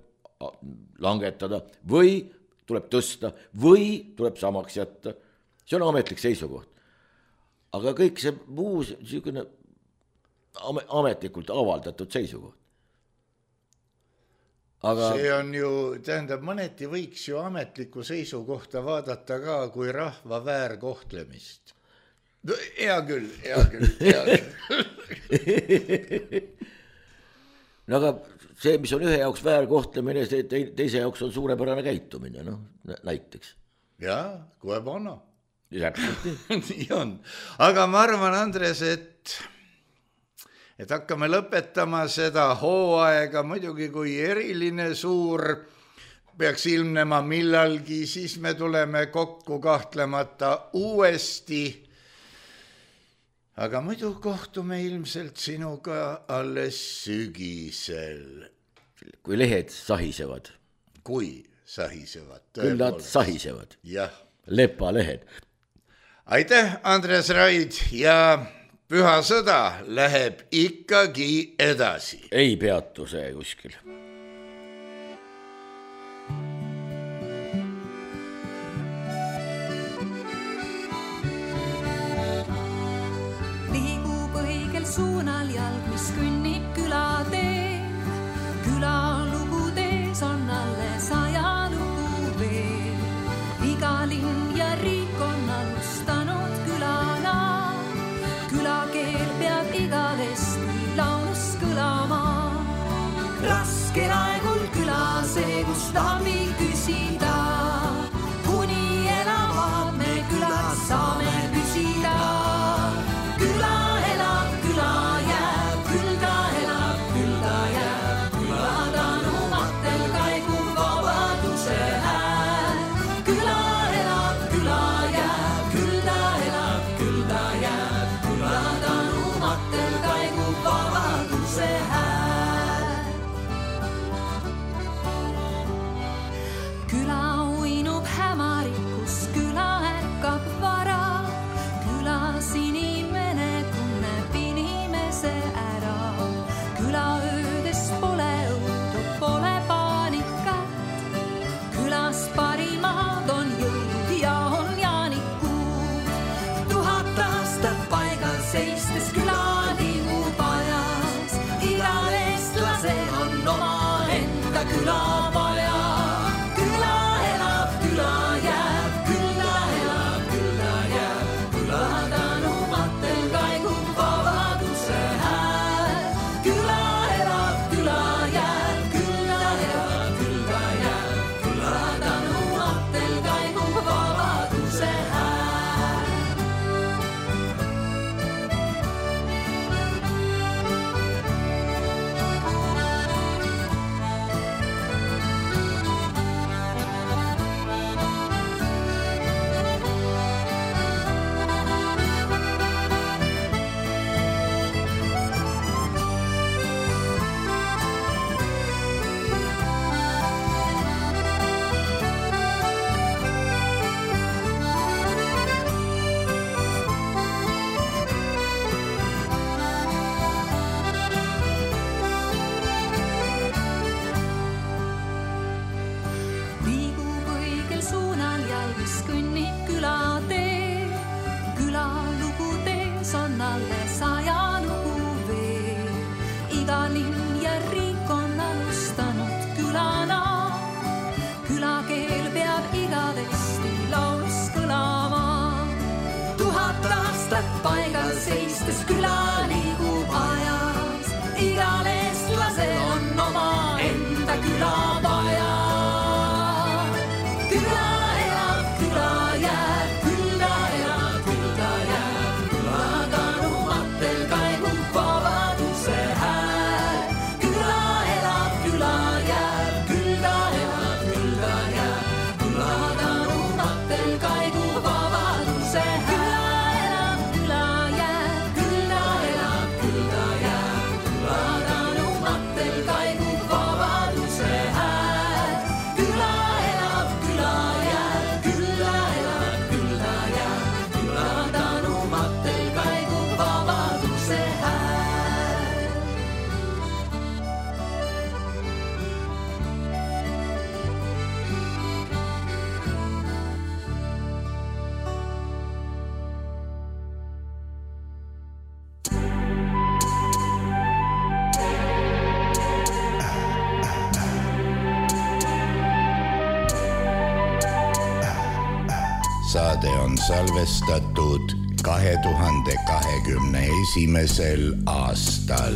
langetada või tuleb tõsta või tuleb samaks jätta. See on ametlik seisukoht. Aga kõik see muu niisugune ametlikult avaldatud seisukoht. Aga see on ju, tähendab, mõneti võiks ju ametliku seisukohta vaadata ka kui rahva väärkohtlemist. Hea küll. No aga see, mis on ühe jaoks väärkohtlemine, teise jaoks on suurepärane käitumine, näiteks. Jaa, kui panna. Täpselt nii on. Aga ma arvan, Andres, et hakkame lõpetama seda hooaega, muidugi kui eriline suur peaks ilmnema millalgi, siis me tuleme kokku kahtlemata uuesti. Aga muidu kohtume ilmselt sinuga alles sügisel. Kui lehed sahisevad. Kui sahisevad. Küll nad sahisevad. Jah. Lepalehed. Aitäh, Andres Raid, ja püha sõda läheb ikkagi edasi. Ei peatu see kuskil. Liigub õigel suunal jalg, mis künnib külatee. Külalugudes on alles ajalugu veel. Iga linn ja riik on alustanud külana. Külakeel peab igavesti laulus kõlama. Raskel aegul küla see, kus tahmi küsida. Kuni elavad me külas saame püsida. Küla elab, küla jääb, küll ta elab, küll ta jääb. Küla ta aastat paigal seistes küla liigub ajas. Igal eestlasel on oma enda küla vaja. Küla elab, küla jääb, külla elab, külla jääb. Küla tanumatel kaigub vabaduse hääl. Küla elab, küla jääb, külla elab, külla jääb. Küla tanumatel kaigub vabaduse hääl. Küla elab, küla jääb, külla elab, külla jääb. Küla tanumatel kaigub vabaduse hääl. Küla elab, küla jääb, külla elab, külla jääb. Küla tanumatel kaigub vabaduse hääl. Saade on salvestatud 2021. aastal.